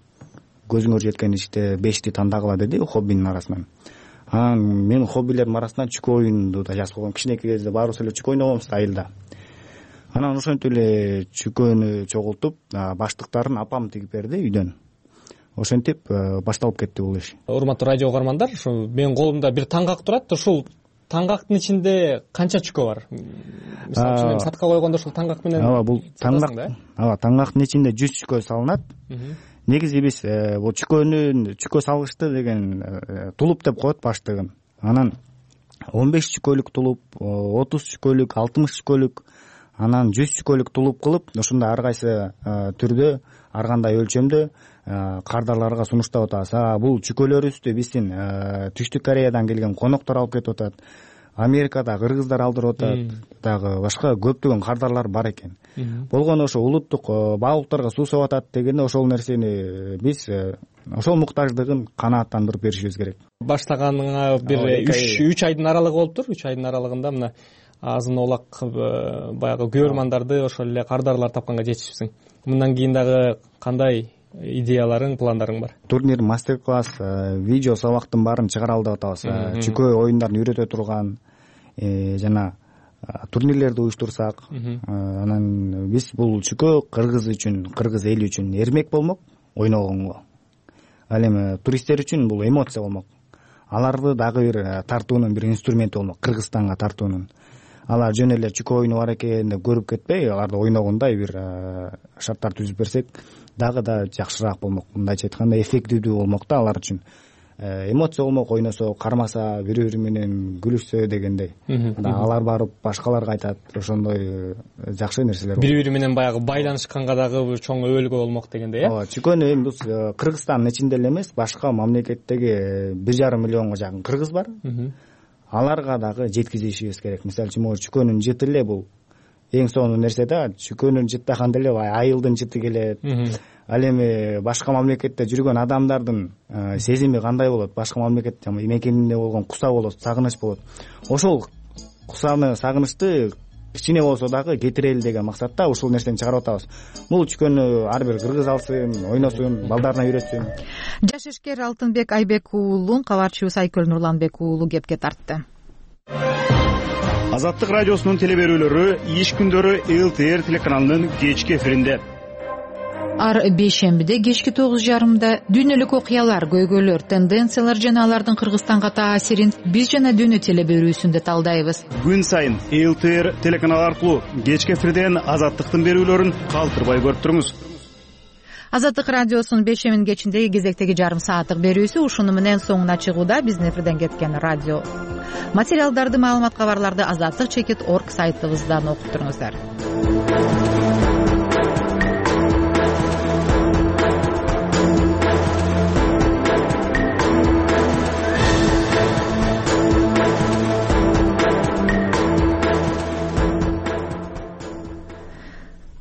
көзүңөр жеткен иште бешти тандагыла деди хоббинин арасынан. Анан мен хоббилердин арасынан чүкө оюнду да жазып койгом. Кичинекей кезде баарыбыз эле чүкө ойногонбуз да айылда. Анан ошентип эле чүкөнү чогултуп, баштыктарын апам тигип берди үйдөн. Ошентип башталып кетти бул иш. Урматтуу радио угармандар, ушу менин колумда бир таңгак турат. Ушул таңгактын ичинде канча чүкө бар? Мисалы үчүн сатка койгондо ушул таңгак менен ооба бул таңгак, ооба таңгактын ичинде жүз чүкө салынат. Негизи биз бул чүкөнү чүкө салгычты деген тулуп деп коет баштыгын. Анан он беш чүкөлүк тулуп, отуз чүкөлүк, алтымыш чүкөлүк, анан жүз чүкөлүк тулуп кылып, ушундай ар кайсы түрдө, ар кандай өлчөмдө кардарларга сунуштап атабыз. Бул чүкөлөрүбүздү биздин Түштүк Кореядан келген коноктор алып кетип атат. Америкада кыргыздар алдырып атат, дагы башка көптөгөн кардарлар бар экен. Болгону ошо улуттук баалуулуктарга суу сап атат дегенде ошол нерсени биз ошол муктаждыгын канааттандырып беришибиз керек. Баштаганыңа бир үч айдын аралыгы болуптур. үч айдын аралыгында мына азын олак баягы көрөрмандарды, ошол эле кардарлар тапканга жетишипсиң. Мындан кийин дагы кандай идеяларың, пландарың бар? Турнир, мастер-класс, видео сабактын баарын чыгаралы деп атабыз. Чүкө оюндарын үйрөтө турган жана турнирлерди уюштурсак, анан биз бул чүкө кыргыз үчүн, кыргыз эли үчүн эрмек болмок, ойногонго. Ал эми туристтер үчүн бул эмоция болмок. Аларды дагы бир тартуунун бир инструменти болмок, Кыргызстанга тартуунун. Алар жөн эле чүкө оюну бар экен деп көрүп кетпей, аларды ойногондой бир шарттар түзүп берсек, дагы да жакшыраак болмок. Мындайча айтканда эффективдүү болмок да алар үчүн. Эмоция болмок, ойносо, кармаса, бири-бири менен күлүшсө дегендей. Алар барып башкаларга айтат, ошондой жакшы нерселер. Бири-бири менен баягы байланышканга дагы чоң өбөлгө болмок дегендей, э? Ооба, чүкөнү эми биз Кыргызстандын ичинде эле эмес, башка мамлекеттеги бир жарым миллионго жакын кыргыз бар. Аларга дагы жеткизишибиз керек. Мисалы үчүн, могу чүкөнүн жыты эле бул эң сонун нерсе да. Чүкөнүн жыттаганда эле айылдын жыты келет. Ал эми башка мамлекетте жүргөн адамдардын сезими кандай болот? Башка мамлекетте мекенинде болгон куса болот, сагыныч болот. Ошол кусаны, сагынычты кичине болсо дагы кетирели деген максатта ушул нерсени чыгарып атабыз. Бул чүкөнү ар бир кыргыз алсын, ойносун, балдарына үйрөтсүн. Жаш ишкер Алтынбек Айбек уулун кабарчыбыз Айкөл Нурланбек уулу кепке тартты. Азаттык радиосунун теле берүүлөрү иш күндөрү эл тэ эр телеканалынын кечки эфиринде. ар бейшембиде кечки тогуз жарымда дүйнөлүк окуялар, көйгөйлөр, тенденциялар жана алардын Кыргызстанга таасирин биз жана дүйнө теле берүүсүндө талдайбыз. Күн сайын эл тэ эр телеканалы аркылуу кечки эфирден Азаттыктын берүүлөрүн калтырбай көрүп туруңуз. Азаттык радиосунун бейшембинин кечиндеги кезектеги жарым сааттык берүүсү ушуну менен соңуна чыгууда. Биздин эфирден кеткен радио материалдарды, маалымат кабарларды азаттык чекит точка орг сайтыбыздан окуп туруңуздар.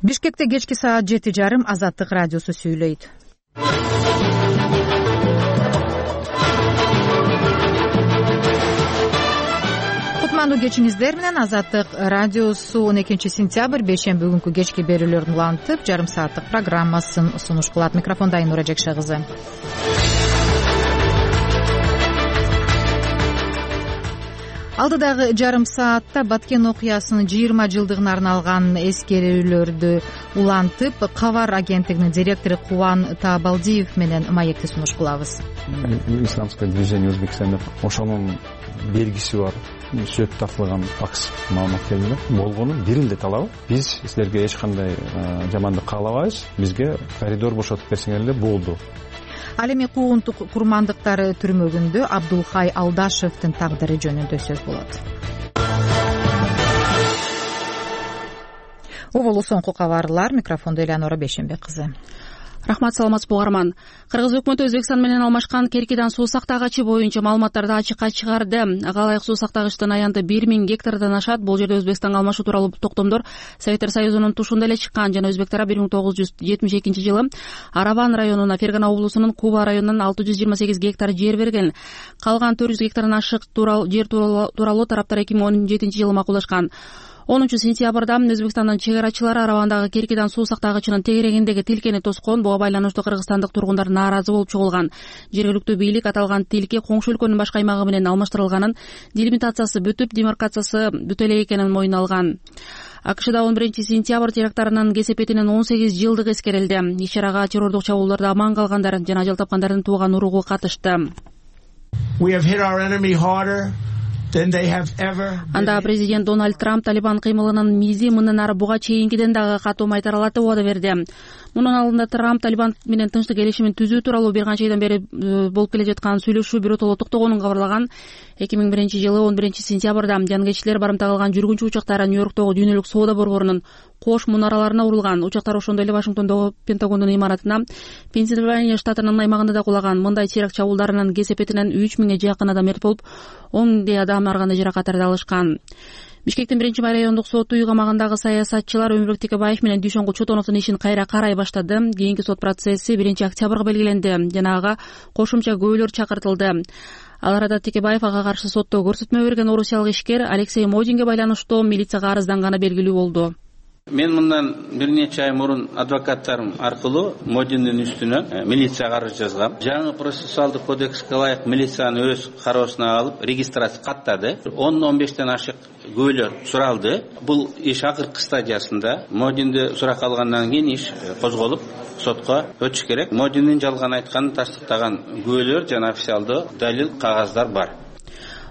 Бишкекте кечки саат жети жарым Азаттык радиосу сүйлөйт. Кутмандуу кечиңиздер менен Азаттык радиосу он экинчи сентябрь бейшемби күнкү кечки берүүлөрүн улантып, жарым сааттык программасын сунуш кылат. Микрофонда Айнура Жекше кызы. Алдыдагы жарым саатта Баткен окуясынын жыйырма жылдыгына арналган эскерүүлөрдү улантып, Кабар агенттигинин директору Кубан Таабалдиев менен маекти сунуш кылабыз. Исламское движение Узбекистанда ошонун белгиси бар. Сөт тартылган факс маалымат келди. Болгону бир эле талабы. Биз силерге эч кандай жамандык каалабайбыз. Бизге коридор бошотуп берсеңер эле болду. Ал эми куугунтук курмандыктары түрмөгүндө Абдулхай Алдашевдин тагдыры жөнүндө сөз болот. Оболу соңку кабарлар. Микрофондо Элеонора Бейшембек кызы. Рахмат, саламатсызбы угарман. Кыргыз өкмөтү Өзбекстан менен алмашкан Керкидан суу сактагычы боюнча маалыматтарды ачыкка чыгарды. Ага ылайык суу сактагычтын аянты бир миң гектардан ашат. Бул жерде Өзбекстанга алмашуу тууралуу токтомдор Советтер Союзунун тушунда эле чыккан жана өзбектер бир миң тогуз жүз жетимиш экинчи жылы Араван районуна, Фергана облусунун Куба районунан алты жүз жыйырма сегиз гектар жер берген. Калган төрт жүз гектардан ашык жер тууралуу тараптар эки миң он жетинчи жылы макулдашкан. онунчу сентябрда Өзбекстандын чек арачылары Аравандагы Керкидан суу сактагычынын тегерегиндеги тилкени тоскон. Буга байланыштуу кыргызстандык тургундар нааразы болуп чогулган. Жергиликтүү бийлик аталган тилке коңшу өлкөнүн башка аймагы менен алмаштырылганын, делимитациясы бүтүп, демаркациясы бүтө эле экенин мойнуна алган. АКШда он биринчи сентябрь терактарынын кесепетинин он сегиз жылдыгы эскерилди. Иш-чарага террордук чабуулдарда аман калгандар жана ажал тапкандардын тууган уругу катышты. Анда президент Дональд Трамп Талибан кыймылынын мизи мындан ары буга чейинкиден дагы катуу майтаралатып убада берди. Мунун алдында Трамп Талибан менен тынчтык келишимин түзүү тууралуу бир канча айдан бери болуп келе жаткан сүйлөшүү биротоло токтогонун кабарлаган. эки миң биринчи жылы он биринчи сентябрда жангеччилер барымта кылган жүргүнчү учактары Нью-Йорктогу дүйнөлүк соода борборунун кош мунараларына урулган. Учактар ошондой эле Вашингтондогу Пентагондун имаратына, Пенсильвания штатынын аймагында да кулаган. Мындай теракт чабуулдарынын кесепетинен үч миңге жакын адам мерт болуп, он миңдей адам арганы жаракаттарды алышкан. Бишкектин биринчи райондук соту үй камагындагы саясатчылар Өмүрбек Текебаев менен Дүйшөнгүл Чотоновдун ишин кайра карай баштады. Кийинки сот процесси биринчи октябрга белгиленди жана ага кошумча күбөлөр чакыртылды. Ал арада Текебаев ага каршы сотто көрсөтмө берген орусиялык ишкер Алексей Модинге байланыштуу милицияга арызданганы белгилүү болду. Мен мындан бир нече ай мурун адвокаттарым аркылуу Модиндин үстүнө милицияга арыз жазгам. Жаңы процессуалдык кодекске ылайык милициянын өз кароосуна алып регистрация каттады. он он бештен ашык күбөлөр суралды. Бул иш акыркы стадиясында. Модинди суракка алгандан кийин иш козголуп сотко өтүш керек. Модиндин жалган айтканын тастыктаган күбөлөр жана официалдуу далил кагаздар бар.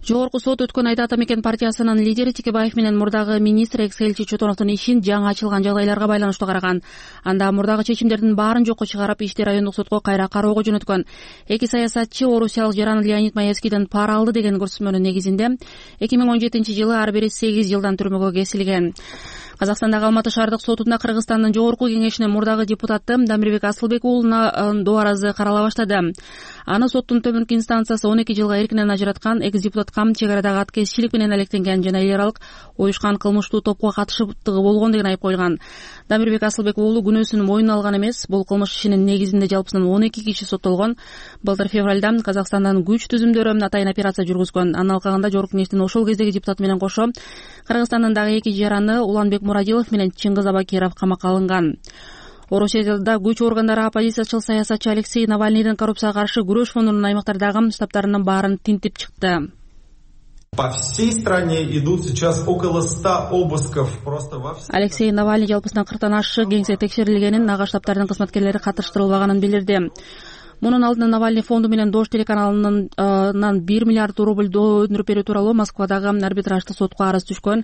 Жогорку сот өткөн айда Ата мекен партиясынын лидери Текебаев менен мурдагы министр экс-элчи Чотоновдун ишин жаңы ачылган жагдайларга байланыштуу караган. Анда мурдагы чечимдердин баарын жокко чыгарып, ишти райондук сотко кайра кароого жөнөткөн. Эки саясатчы орусиялык жаран Леонид Маевскийден пара алды деген көрсөтмөнүн негизинде эки миң он жетинчи жылы ар бири сегиз жылдан түрмөгө кесилген. Казакстандагы Алматы шаардык сотунда Кыргызстандын жогорку кеңешинин мурдагы депутаты Дамирбек Асылбек уулуна дооразы карала баштады. Аны соттун төмөнкү инстанциясы он эки жылга эркинен ажыраткан. Экс-депутатка чек арадагы аткезчилик менен алектенген жана эл аралык уюшкан кылмыштуу топко катышыптыгы болгон деген айып коюлган. Дамирбек Асылбек уулу күнөөсүн мойнуна алган эмес. Бул кылмыш ишинин негизинде жалпысынан он эки киши соттолгон. Былтыр февралда Казакстандын күч түзүмдөрү атайын операция жүргүзгөн. Анын алкагында жогорку кеңештин ошол кездеги депутаты менен кошо Кыргызстандын дагы эки жараны Уланбек Мурадилов менен Чыңгыз Абакиров камакка алынган. Орусияда күч органдары оппозициячыл саясатчы Алексей Навальныйдын коррупцияга каршы күрөш фондунун аймактардагы штабтарынын баарын тинтип чыкты. По всей стране идут сейчас около ста обысков просто во всех. Алексей Навальный жалпысынан кырктан ашык кеңсе текшерилгенин, ага штабтардын кызматкерлери катыштырылбаганын билдирди. Мунун алдында Навальный фонду менен Дождь телеканалынан бир миллиард рубль өндүрүп берүү тууралуу Москвадагы арбитраждык сотко арыз түшкөн.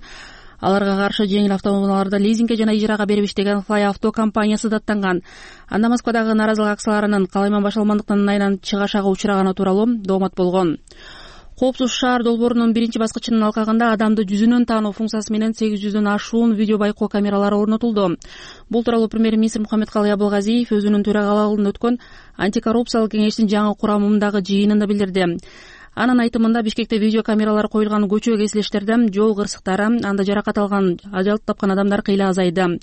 Аларга каршы жеңил автоунааларды лизингге жана ижарага берибиш деген Fly Auto компаниясы даттанган. Анда Москвадагы нааразылык акцияларынын калайман башталмандыктан айынан чыгашага учураганы тууралуу доомат болгон. Коопсуз шаар долбоорунун биринчи баскычынын алкагында адамды жүзүнөн таануу функциясы менен сегиз жүздөн ашуун видео байкоо камералары орнотулду. Бул тууралуу премьер-министр Мухаммедкалый Абылгазиев өзүнүн төрагалыгында өткөн антикоррупциялык кеңештин жаңы курамындагы жыйынында билдирди. Анын айтымында Бишкекте видео камералары коюлган көчө кесилиштерде жол кырсыктары, анда жаракат алган, ажал тапкан адамдар кыйла азайды.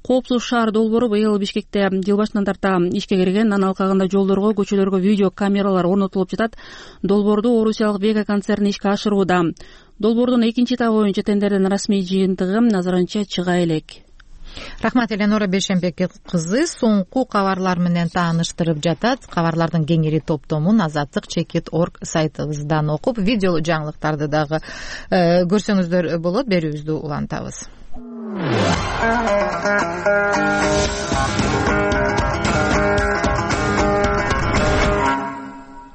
Коопсуз шаар долбоору быйыл Бишкекте жыл башынан тарта ишке кирген. Анын алкагында жолдорго, көчөлөргө видео камералар орнотулуп жатат. Долбоорду орусиялык Вега концерни ишке ашырууда. Долбоордун экинчи этабы боюнча тендердин расмий жыйынтыгы назарынча чыга элек. Рахмат, Эленора Бейшембек кызы соңку кабарлар менен тааныштырып жатат. Кабарлардын кеңири топтомун азаттык чекит точка орг сайтыбыздан окуп, видео жаңылыктарды дагы көрсөңүздөр болот. Берүүбүздү улантабыз.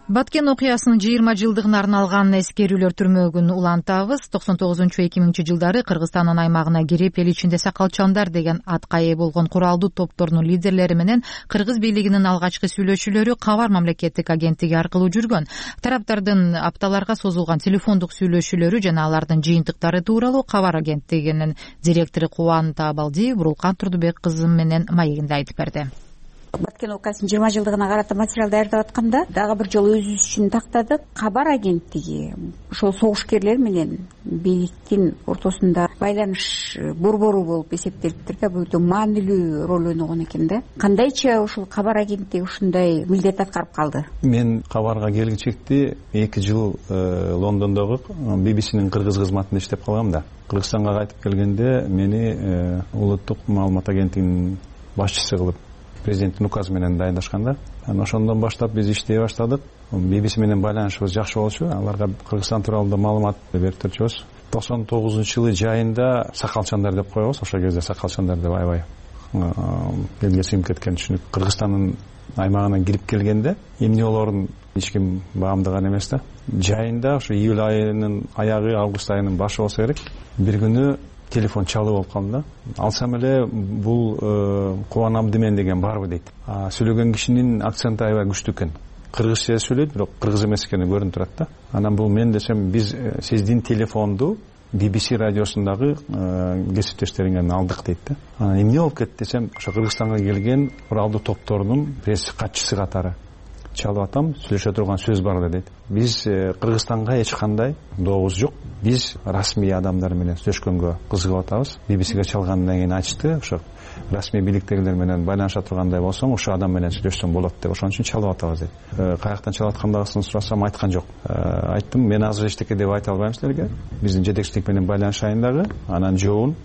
Баткен окуясынын жыйырма жылдыгына арналган эскерүүлөр түрмөгүн улантабыз. токсон тогузунчу эки миңинчи жылдары Кыргызстандын аймагына кирип, эл ичинде сакалчандар деген атка ээ болгон куралдуу топтордун лидерлери менен кыргыз бийлигинин алгачкы сүйлөшүүлөрү Кабар мамлекеттик агенттиги аркылуу жүргөн. Тараптардын апталарга созулган телефондук сүйлөшүүлөрү жана алардын жыйынтыктары тууралуу Кабар агенттигинин директору Кубан Таабалдиев Бурулкан Турдубек кызы менен маегинде айтып берди. Баткен окуясынын жыйырма жылдыгына карата материал даярдап атканда дагы бир жолу өзүбүз үчүн тактадык. Кабар агенттиги ошол согушкерлер менен бийликтин ортосунда байланыш борбору болуп эсептелиптир да. Бул өтө маанилүү роль ойногон экен да. Кандайча ушул Кабар агенттиги ушундай милдет аткарып калды? Мен Кабарга келгичекти эки жыл Лондондогу би би синин кыргыз кызматында иштеп калгам да. Кыргызстанга кайтып келгенде мени улуттук маалымат агенттигинин башчысы кылып президенттин указы менен дайындашканда, анан ошондон баштап биз иштей баштадык. би би си менен байланышыбыз жакшы болчу. Аларга Кыргызстан тууралуу маалымат берип турчубуз. токсон тогузунчу жылы жайында сакалчандар деп коебуз. Ошол кезде сакалчандар деп аябай элге сиңип кеткен түшүнүк. Кыргызстандын аймагына кирип келгенде эмне болоорун эч ким баамдаган эмес да. Жайында ошо июль айынын аягы, август айынын башы болсо керек. Бир күнү телефон чалып болуп калды да. Алсам эле бул Кубан Абдымен деген барбы дейт. Сүйлөгөн кишинин акценти аябай күчтүү экен. Кыргызча сүйлөйт, бирок кыргыз эмес экени көрүнүп турат да. Анан бул мен десем, биз сиздин телефонду би би си радиосундагы кесиптештериңен алдык дейт да. Анан эмне болуп кетти десем, ошо Кыргызстанга келген куралдуу топторунун пресс катчысы катары чалып атам, сүйлөшө турган сөз бар дейт. Биз Кыргызстанга эч кандай дообуз жок. Биз расмий адамдар менен сүйлөшкөнгө кызыгып атабыз. би би сиге чалгандан кийин айтышты, ошо расмий бийликтегилер менен байланыша тургандай болсоң, ошо адам менен сүйлөшсөң болот деп, ошон үчүн чалып атабыз дейт. Каяктан чалып аткандыгын сурасам, айткан жок. Айттым, мен азыр эчтеке деп айта албайм силерге. Биздин жетекчилик менен байланышайын дагы, анан жообун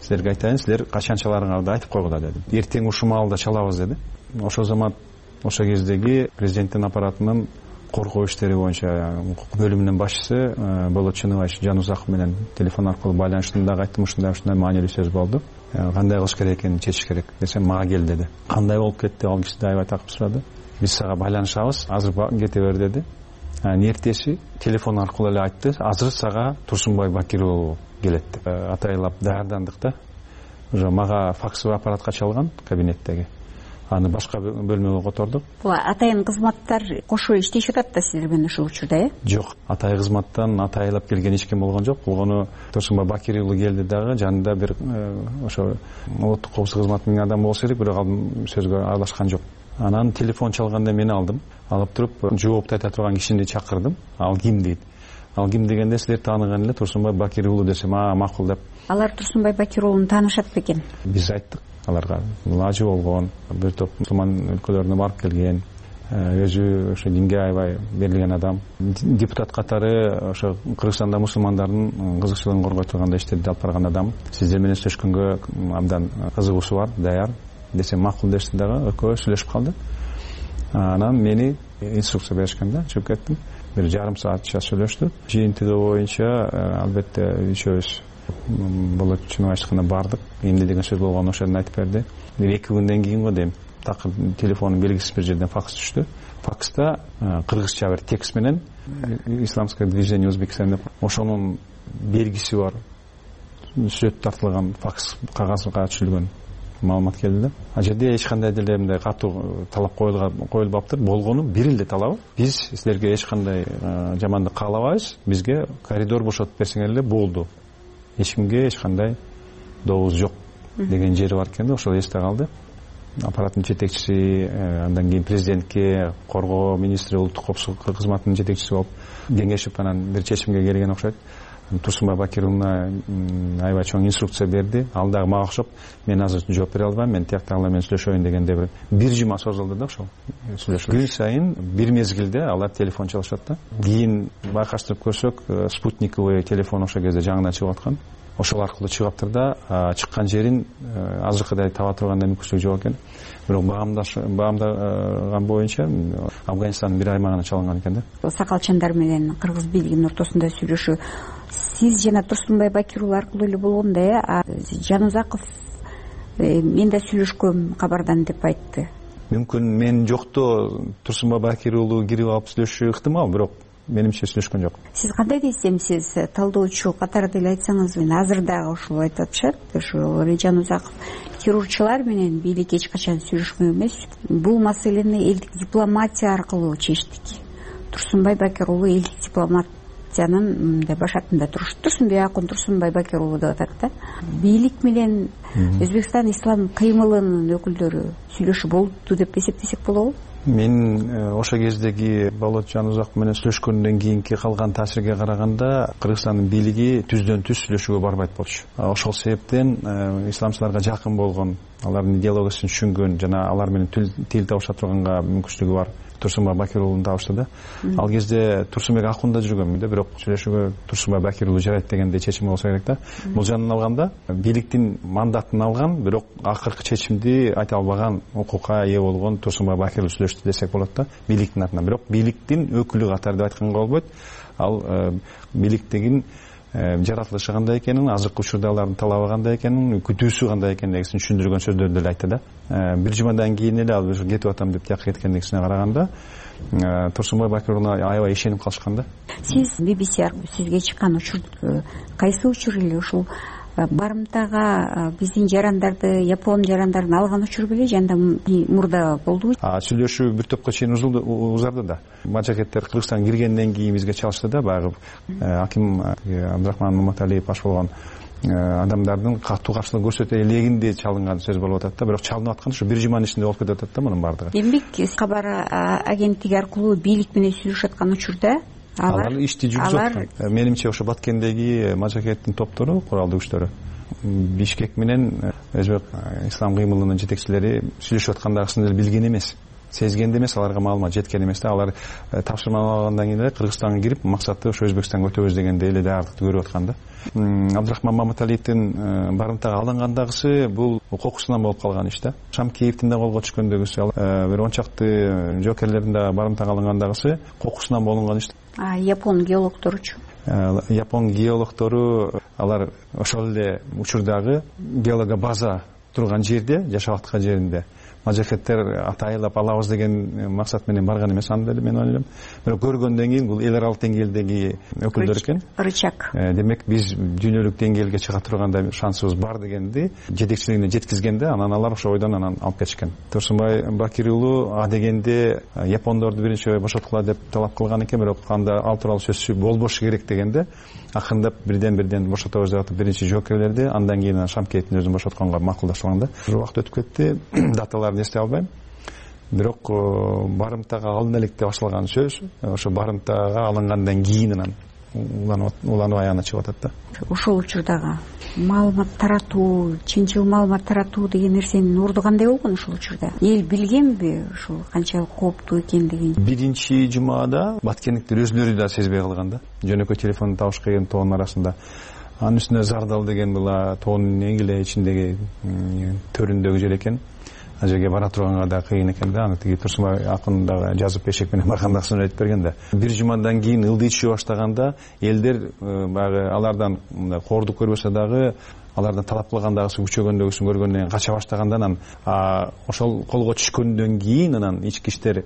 силерге айтайын, силер качан чаларыңарды айтып койгула деди. Эртең ушул маалда чалабыз деди. Ошол замат ошо кездеги президенттин аппаратынын коргоо иштери боюнча бөлүмүнүн башчысы Болот Чыныбаевич Жанузаков менен телефон аркылуу байланыштым дагы, айттым, ушундай ушундай маанилүү сөз болду. Кандай кылыш керек экенин чечиш керек десем, мага кел деди. Кандай болуп кетти? Ал киши да аябай такып сурады. Биз сага байланышабыз, азыр кете бер деди. Анан эртеси телефон аркылуу эле айтты, азыр сага Турсунбай Бакир уулу келет деп. Атайлап даярдандык да. Уже мага факсовый аппаратка чалган кабинеттеги. Аны башка бөлмөгө котордук. Бул атайын кызматтар кошо иштешип атат да силер менен ушул учурда, э? Жок, атай кызматтан атайлап келген эч ким болгон жок. Болгону Турсунбай Бакир уулу келди дагы, жанында бир ошо улуттук коопсуздук кызматынын адамы болсо керек, бирок ал сөзгө аралашкан жок. Анан телефон чалганда мени алдым. Алып туруп, жоопту айта турган кишини чакырдым. Ал ким дейт. Ал ким дегенде, силер тааныган эле Турсунбай Бакир уулу десем, а макул деп. Алар Турсунбай Бакир уулун таанышат бекен? Биз айттык аларга, лажы болгон, бир топ мусулман өлкөлөрүнө барып келген, өзү ошо динге аябай берилген адам. Депутат катары ошо Кыргызстанда мусулмандардын кызыкчылыгын коргой турган иштерди алып барган адам. Сиздер менен сүйлөшкөнгө абдан кызыгуусу бар, даяр десем, макул дешти дагы, экөө сүйлөшүп калды. Анан мени инструкция беришкен да, чыгып кеттим. бир жарым саатча сүйлөштүк. Жыйынтыгы боюнча албетте үчөөбүз болот чын айтканда бардык. Эмне деген сөз болгонун ошол жерден айтып берди. Эки күндөн кийин го дейм такыр телефонун белгисиз бир жерден факс түштү. Факста кыргызча бир текст менен исламское движение Узбекистан деп ошонун белгиси бар сүрөт тартылган факс кагазга түшүрүлгөн маалымат келди да. Ал жерде эч кандай деле мындай катуу талап коюлбаптыр. Болгону бир эле талабы биз силерге эч кандай жамандык каалабайбыз, бизге коридор бошотуп берсеңер эле болду, эч кимге эч кандай добуз жок деген жери бар экен да. Ошол эсте калды. Аппараттын жетекчиси, андан кийин президентке, коргоо министри, улуттук коопсуздук кызматынын жетекчиси болуп кеңешип анан бир чечимге келген окшойт. Турсунбай Бакир уулуна аябай чоң инструкция берди. Ал дагы мага окшоп, мен азыр жооп бере албайм, мен тияктагылар менен сүйлөшөйүн дегенде бир бир жума созулду да ошол сүйлөшүү. Күн сайын бир мезгилде алар телефон чалышат да. Кийин байкаштырып көрсөк, спутниковый телефон ошол кезде жаңыдан чыгып аткан. Ошол аркылуу чыгаптыр да, чыккан жерин азыркыдай таба тургандай мүмкүнчүлүк жок экен. Бирок баамдаган боюнча Афганистандын бир аймагына чалынган экен да. Сакалчандар менен кыргыз бийлигинин ортосунда сүйлөшүү сиз жана Турсунбай Бакир уулу аркылуу эле болгон да. Жанузаков мен да сүйлөшкөм кабардан деп айтты. Мүмкүн мен жокто Турсунбай Бакир уулу кирип алып сүйлөшүшү ыктымал, бирок менимче сүйлөшкөн жок. Сиз кандай десем, сиз талдоочу катары деле айтсаңыз, мен азыр дагы ушул айтып атышат. Ошо Жанузаков террорчулар менен бийлик эч качан сүйлөшмөк эмес. Бул маселени элдик дипломатия аркылуу чечтик. Турсунбай Бакир уулу элдик дипломатиянын мындай башатында туруш. Турсунбек Акун Турсунбай Бакир уулу деп атат да. Бийлик менен Өзбекстан ислам кыймылынын өкүлдөрү сүйлөшүү болду деп эсептесек болобу? Мен ошол кездеги Болот Жанузаков менен сүйлөшкөндөн кийинки калган таасирге караганда Кыргызстандын бийлиги түздөн түз сүйлөшүүгө барбайт болчу. Ошол себептен исламчыларга жакын болгон, алардын идеологиясын түшүнгөн жана алар менен тил табыша турганга мүмкүнчүлүгү бар Турсунбай Бакир уулун табышты да. Ал кезде Турсунбек Акунда жүргөнмүн да, бирок сүйлөшүүгө Турсунбай Бакир уулу жарайт дегенде чечим болсо керек да. Бул жөнүн алганда бийликтин мандатын алган, бирок акыркы чечимди айта албаган, укукка ээ болгон Турсунбай Бакир уулу сүйлөштү десек болот да, бийликтин атынан. Бирок бийликтин өкүлү катары деп айтканга болбойт. Ал бийликтигин жаратылышы кандай экенин, азыркы учурда алардын талабы кандай экенин, күтүүсү кандай экендигин түшүндүргөн сөздөрдү эле айтты да. Бир жумадан кийин эле ал кетип атам деп тияка кеткендигине караганда Турсунбай Бакир уулуна аябай ишенип калышкан да. Сиз би би си аркылуу сизге чыккан учур кайсы учур эле ушул барымтага биздин жарандарды, япон жарандарын алган учур беле, жанда мурда болдубу? Сүйлөшүү бир топко чейин узарды да. Мажакеттер Кыргызстанга киргенден кийин бизге чалышты да, баягы аким Абдрахман Маматалиев баш болгон адамдардын катуу каршылык көрсөтө элегинде чалынган сөз болуп атат да, бирок чалынып аткан ушу бир жуманын ичинде болуп кетип атат да мунун баардыгы. Демек, кабар агенттиги аркылуу бийлик менен сүйлөшүп аткан учурда алар ишти жүргүзүп, менимче ошо Баткендеги мажакеттин топтору, куралдуу күчтөрү Бишкек менен Өзбек ислам кыймылынын жетекчилери сүйлөшүп аткандагысын эле билген эмес, сезген эмес, аларга маалымат жеткен эмес да. Алар тапшырма алгандан кийин эле Кыргызстанга кирип, максаты ошо Өзбекстанга өтөбүз дегенде эле даярдыкты көрүп аткан да. Абдрахман Маматалиевдин барымтага алынгандагысы бул кокусунан болуп калган иш да. Шамкеевдин да колго түшкөндөгүсү, бир он чакты жокерлердин да барымтага алынгандагысы кокусунан болунган иш. А япон геологдоручу? Япон геологдору алар ошол эле учурдагы геолога база турган жерде, жашап аткан жеринде мажакеттер атайылап алабыз деген максат менен барган эмес, аны деле мен ойлойм. Бирок көргөндөн кийин бул эл аралык деңгээлдеги өкүлдөр экен. Рычаг. Демек биз дүйнөлүк деңгээлге чыга тургандай шансыбыз бар дегенди жетекчилигине жеткизгенде, анан алар ошо ойдон анан алып кетишкен. Турсунбай Бакир уулу а дегенде япондорду биринчи бошоткула деп талап кылган экен, бирок анда ал тууралуу сөз болбошу керек дегенде акырындап бирден бирден бошотобуз деп атып биринчи жоокерлерди, андан кийин Шамкеевдин өзүн бошотконго макулдашылган да. Бир убакыт өтүп кетти, даталарды эстей албайм. Бирок барымтага алдын электе башталган сөз ошо барымтага алынгандан кийин анан уланып аягына чыгып атат да. Ошол учурдагы маалымат таратуу, чынчыл маалымат таратуу деген нерсенин орду кандай болгон ошол учурда? Эл билгенби ушул канчалык кооптуу экендигин? Биринчи жумада баткендиктер өзүлөрү да сезбей калган да. Жөнөкөй телефонду табыш кыйын тоонун арасында. анын үстүнө Зардал деген бул тоонун эң эле ичиндеги төрүндөгү жер экен. Ал жерге бара турганга да кыйын экен да. Аны тиги Турсунбай акын дагы жазып эшек менен барганда сүнөт айтып берген да. Бир жумадан кийин ылдый түшө баштаганда элдер баягы алардан мындай кордук көрбөсө дагы алардан талап кылгандагысы күчөгөндөгүсүн көргөндөн кийин кача баштагандан анан ошол колго түшкөндөн кийин анан ички иштер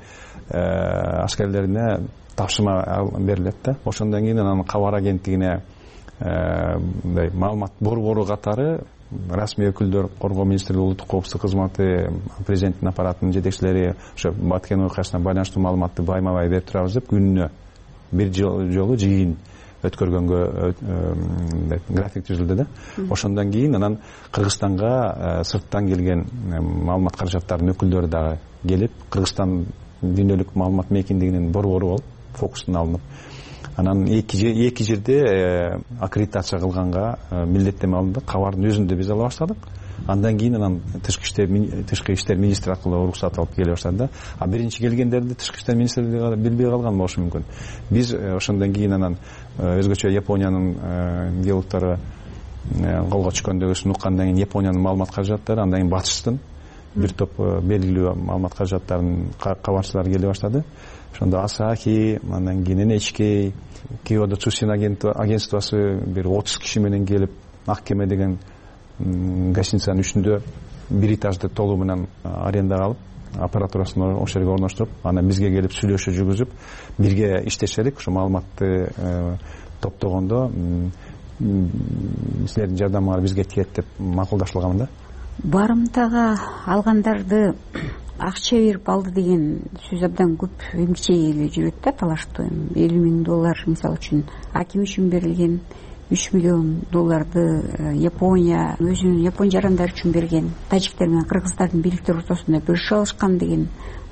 аскерлерине тапшырма берилет да. Ошондон кийин анан кабар агенттигине мындай маалымат борбору катары расмий өкүлдөр, коргоо министрлиги, улуттук коопсуздук кызматы, президенттин аппаратынын жетекчилери ошо Баткен окуясына байланыштуу маалыматты байма-бай берип турабыз деп күнүнө бир жолу жыйын өткөргөнгө график түзүлдү да. Ошондон кийин анан Кыргызстанга сырттан келген маалымат каражаттарынын өкүлдөрү дагы келип, Кыргызстан дүйнөлүк маалымат мейкиндигинин борбору болуп фокустуна алынып, анан эки жерде аккредитация кылганга милдеттеме алынды. Кабардын өзүндө биз ала баштадык. Андан кийин анан тышкы иштер тышкы иштер министри аркылуу уруксат алып келе баштады да. А биринчи келгендерди тышкы иштер министрлиги билбей калган болушу мүмкүн. Биз ошондон кийин анан өзгөчө Япониянын геологдору колго түшкөндөгүсүн уккандан кийин Япониянын маалымат каражаттары, андан кийин батыштын бир топ белгилүү маалымат каражаттарынын кабарчылары келе баштады. Ошондо Асахи, андан кийин эн эйч кей, Киодо Цусин агентствосы бир отуз киши менен келип, Ак кеме деген гостиницанын үстүндө бир этажды толугу менен арендага алып, аппаратурасын ошол жерге орноштуруп, анан бизге келип сүйлөшүү жүргүзүп, бирге иштешелик. Ошо маалыматты топтогондо силердин жардамыңар бизге тиет деп макулдашылган да. Барымтага алгандарды акча берип алды деген сөз абдан көп эмгичей эле жүрөт да, талаштуу. элүү миң доллар мисалы үчүн аким үчүн берилген, үч миллион долларды Япония өзүнүн япон жарандары үчүн берген, тажиктер менен кыргыздардын бийликтер ортосунда бөлүшүп алышкан деген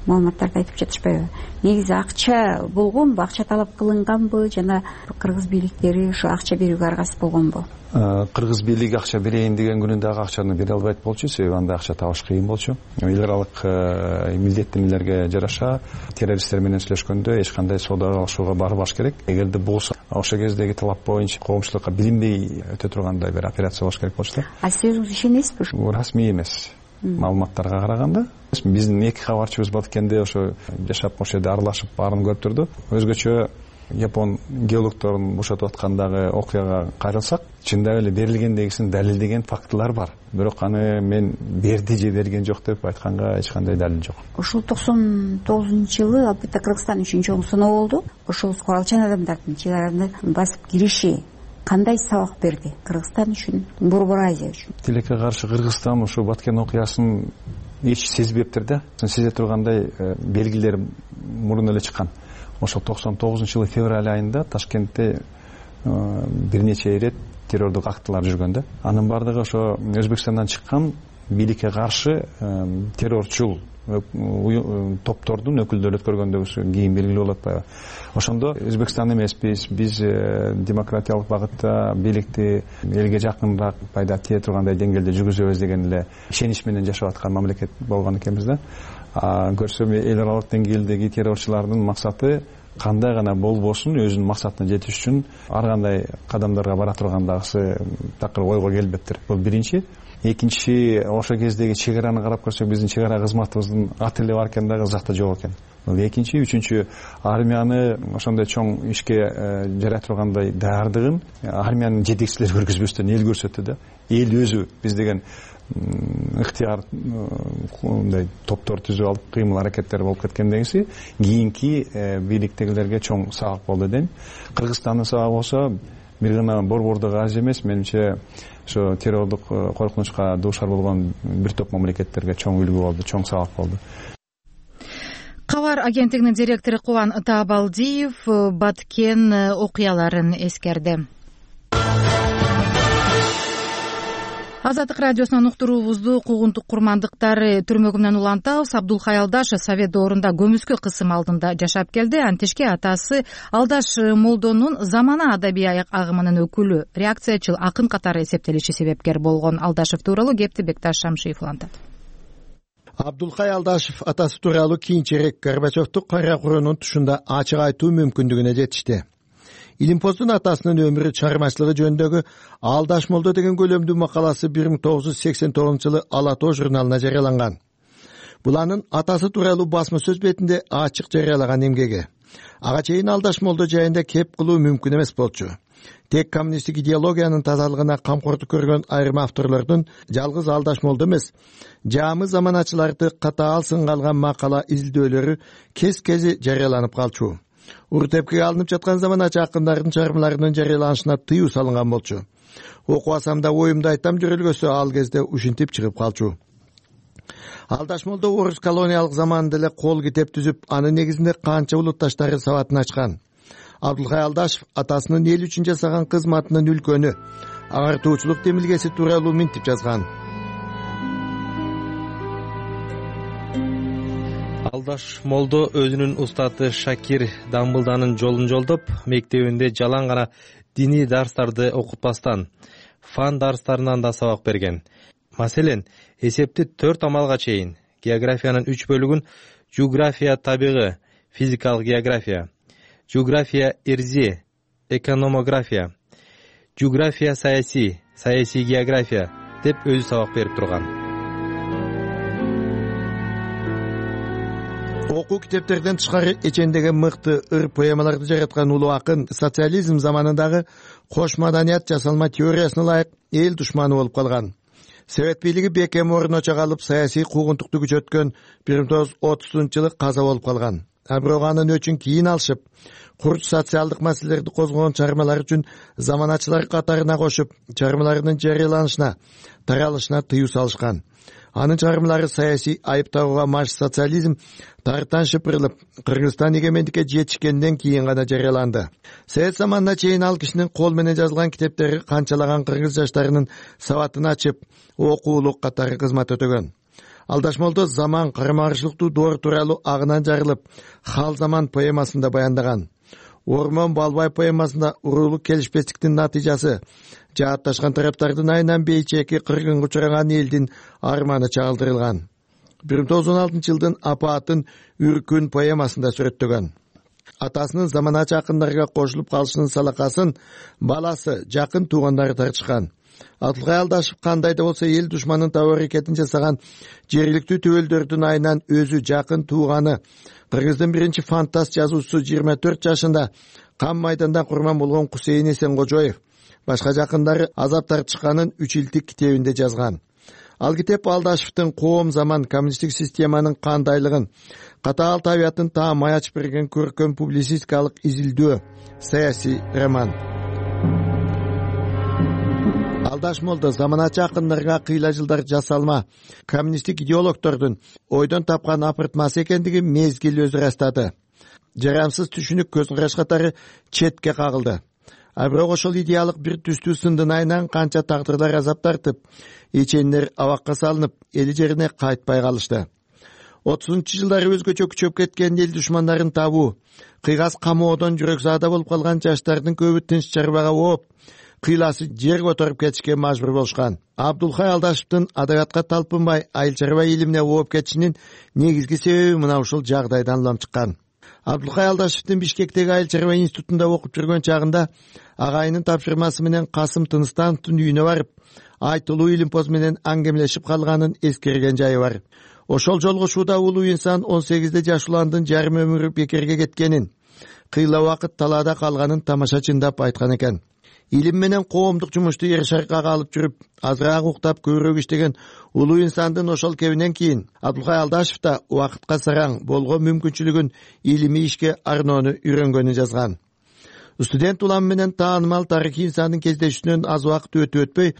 маалыматтарды айтып жатышпайбы? Негизи акча болгонбу, акча талап кылынганбы, жана кыргыз бийликтери ошо акча берүүгө аргасыз болгонбу? Кыргыз бийлиги акча берейин деген күнүндө акчаны бере албайт болчу, себеби анда акча табыш кыйын болчу. Эл аралык милдеттенүүлөргө жараша террористтер менен сүйлөшкөндө эч кандай соода алышууга барбаш керек. Эгерде болсо, ошол кездеги талап боюнча коомчулукка билинбей өтө тургандай бир операция болуш керек болчу да. А сиз ишенесизби? Расмий эмес маалыматтарга караганда. Биздин эки кабарчыбыз Баткенде ошо жашап, ошол жерде аралашып баарын көрүп турду. Өзгөчө Япон геологдорун бошотуп аткандагы окуяга кайрылсак, чындап эле берилгендегисин далилдеген фактылар бар. Бирок аны мен берди же берген жок деп айтканга эч кандай далил жок. Ушул токсон тогузунчу жылы албетте Кыргызстан үчүн чоң сыноо болду. Ошол куралчан адамдардын чек араны басып кириши кандай сабак берди Кыргызстан үчүн, Борбор Азия үчүн? Тилекке каршы Кыргызстан ошо Баткен окуясын эч сезбептир да. Сезе тургандай белгилер мурун эле чыккан. Ошол токсон тогузунчу жылы февраль айында Ташкентте бир нече ирет террордук актылар жүргөн да. Анын бардыгы ошо Өзбекстандан чыккан бийликке каршы террорчул топтордун өкүлдөрү өткөргөндөгүсү кийин белгилүү болуп атпайбы? Ошондо Өзбекстан эмеспиз, биз демократиялык багытта бийликти элге жакыныраак пайда тие тургандай деңгээлде жүргүзөбүз деген эле ишенич менен жашап аткан мамлекет болгон экенбиз да. Көрсөм эл аралык деңгээлдеги террорчулардын максаты кандай гана болбосун өзүнүн максатына жетиш үчүн ар кандай кадамдарга бара тургандагысы такыр ойго келбептир. Бул биринчи. Экинчи, ошол кездеги чек араны карап көрсөк, биздин чек ара кызматыбыздын аты эле бар экен, дагы ызакта жок экен. Бул экинчи. Үчүнчү, армияны ошондой чоң ишке жарай тургандай даярдыгын армиянын жетекчилери көргөзбөстөн эл көрсөттү да. Эл өзү биз деген ыктыяр мындай топтор түзүп алып кыймыл аракеттер болуп кеткендегиси кийинки бийликтегилерге чоң сабак болду дейм. Кыргызстандын сабагы болсо бир гана борбордук Азия эмес, менимче ошо террордук коркунучка дуушар болгон бир топ мамлекеттерге чоң үлгү болду, чоң сабак болду. Кабар агенттигинин директору Кубан Таабалдиев Баткен окуяларын эскерди. Азаттык радиосунан уктуруубузду куугунтук курмандыктар түрмөгү менен улантабыз. Абдулхай Алдашев Совет доорунда көмүскө кысым алдында жашап келди. Антишке атасы Алдаш Молдонун замана адабий агымынын өкүлү, реакциячыл акын катары эсептелиши себепкер болгон. Алдашев тууралуу кепти Бекташ Шамшиев улантат. Абдулхай Алдашев атасы тууралуу кийинчерээк Горбачевдун кара курунун тушунда ачык айтуу мүмкүндүгүнө жетишти. Илимпоздун атасынын өмүрү чыгармачылыгы жөнүндөгү Алдаш Молдо деген көлөмдүү макаласы бир миң тогуз жүз сексен тогузунчу жылы Ала тоо журналына жарыяланган. Бул анын атасы тууралуу басма сөз бетинде ачык жарыялаган эмгеги. Ага чейин Алдаш Молдо жайында кеп кылуу мүмкүн эмес болчу. Тек коммунисттик идеологиянын тазалыгына камкордук көргөн айрым авторлордун жалгыз Алдаш Молдо эмес, жаамы заманачыларды катаал сынга алган макала изилдөөлөрү кез-кези жарыяланып калчу. Уртепкеге алынып жаткан заманачы акындардын чыгармаларынын жарыяланышына тыюу салынган болчу. Окубасам да оюмду айтам жүрөлгөсө ал кезде ушинтип чыгып калчу. Алдаш Молдо орус колониялык заманында эле кол китеп түзүп, анын негизинде канча улутташтары сабатын ачкан. Абдулкай Алдашев атасынын эл үчүн жасаган кызматынын үлкөнү, агартуучулук демилгеси тууралуу минтип жазган. Алдаш Молдо өзүнүн устаты Шакир Дамбылданын жолун жолдоп, мектебинде жалаң гана диний дарстарды окутпастан, фан дарстарынан да сабак берген. Маселен, эсепти төрт амалга чейин, географиянын үч бөлүгүн география табигы, физикалык география, география эрзи, экономография, география саясий, саясий география деп өзү сабак берип турган. Окуу китептерден тышкары эчендеги мыкты ыр поэмаларды жараткан улуу акын социализм заманындагы кош маданият жасалма теориясына ылайык эл душманы болуп калган. Совет бийлиги бекем орун очо калып, саясий куугунтукту күчөткөн бир миң тогуз жүз отузунчу жылы каза болуп калган. А бирок анын өчүн кийин алышып, курч социалдык маселелерди козгогон чыгармалар үчүн заманачылар катарына кошуп, чыгармаларынын жарыяланышына, таралышына тыюу салышкан. Анын чыгармалары саясий айыптоого маш социализм тарттан шыпырылып, Кыргызстан эгемендикке жетишкенден кийин гана жарыяланды. Совет заманына чейин ал кишинин кол менен жазылган китептери канчалаган кыргыз жаштарынын сабатын ачып, окуулук катары кызмат өтөгөн. Алдаш Молдо заман карама-каршылыктуу доор тууралуу агынан жарылып, Хал заман поэмасында баяндаган. Ормон Балбай поэмасында уруулук келишпестиктин натыйжасы, жаатташкан тараптардын айынан бейчеки кыргынга учураган элдин арманы чагылдырылган. бир миң тогуз жүз он алтынчы жылдын апаатын Үркүн поэмасында сүрөттөгөн. Атасынын заманачы акындарга кошулуп калышынын салакасын баласы, жакын туугандары тартышкан. Абдулкай Алдашев кандай да болсо эл душманын табуу аракетин жасаган жергиликтүү төбөлдөрдүн айынан өзү жакын тууганы, Кыргыздын биринчи фантаст жазуучусу жыйырма төрт жашында кам майданда курман болгон Кусейин Эсенгожоев, башка жакындары азап тартышканын үч илтик китебинде жазган. Ал китеп Алдашевдин коом заман коммунисттик системанын кандайлыгын, катаал табиятын таамай ачып берген көркөм публицистикалык изилдөө, саясий роман. Алдаш Молдо заманачы акындарга кыйла жылдар жасалма коммунисттик идеологдордун ойдон тапкан апыртмасы экендиги мезгил өзү ырастады. Жарамсыз түшүнүк көз караш катары четке кагылды. А бирок ошол идеалык бир түстүү сындын айынан канча тагдырлар азап тартып, иченнер абакка салынып, эли жерине кайтпай калышты. отузунчу жылдары өзгөчө күчөп кеткен эл душмандарын табуу, кыйгас камоодон жүрөк заада болуп калган жаштардын көбү тынч чарбага ооп, кыйласы жер которуп кетишке мажбур болушкан. Абдулкай Алдашевдин адабиятка талпынбай, айыл чарба илимине ооп кетишинин негизги себеби мына ушул жагдайдан улам чыккан. Абдулкай Алдашевдин Бишкектеги айыл чарба институтунда окуп жүргөн чагында агайынын тапшырмасы менен Касым Тыныстановдун үйүнө барып, айтылуу илимпоз менен аңгемелешип калганын эскерген жайы бар. Ошол жолугушууда улуу инсан он сегизде жаш уландын жарым өмүрү бекерге кеткенин, кыйла убакыт талаада калганын тамашачындап айткан экен. Илим менен коомдук жумушту эр шаркага алып жүрүп, азыраак уктап көбүрөөк иштеген улуу инсандын ошол кебинен кийин Абдулкай Алдашев да убакытка сараң болгон мүмкүнчүлүгүн илимий ишке арноону үйрөнгөнүн жазган. Студент улам менен таанымал тарыхый инсандын кездешүүнөн аз убакыт өтүп өтпөй,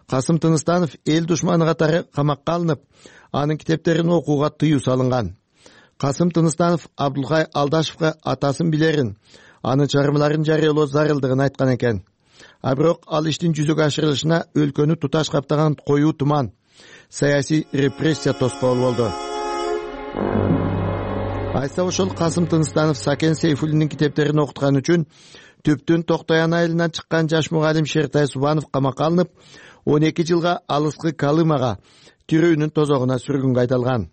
Касым Тыныстанов эл душманы катары камакка алынып, анын китептерин окууга тыюу салынган. Касым Тыныстанов Абдулкай Алдашевга атасын билерин, анын чыгармаларын жарыялоо зарылдыгын айткан экен. А бирок ал иштин жүзөгө ашырылышына өлкөнү туташ каптаган коюу туман, саясий репрессия тоскоол болду. Айса ошол Касым Тыныстанов Сакен Сейфуллиндин китептерин окуткан үчүн Түптүн Токтоян айылынан чыккан жаш мугалим Шертай Субанов камакка алынып, он эки жылга алыскы Калымага, тирүүнүн тозогуна сүргүнгө айдалган.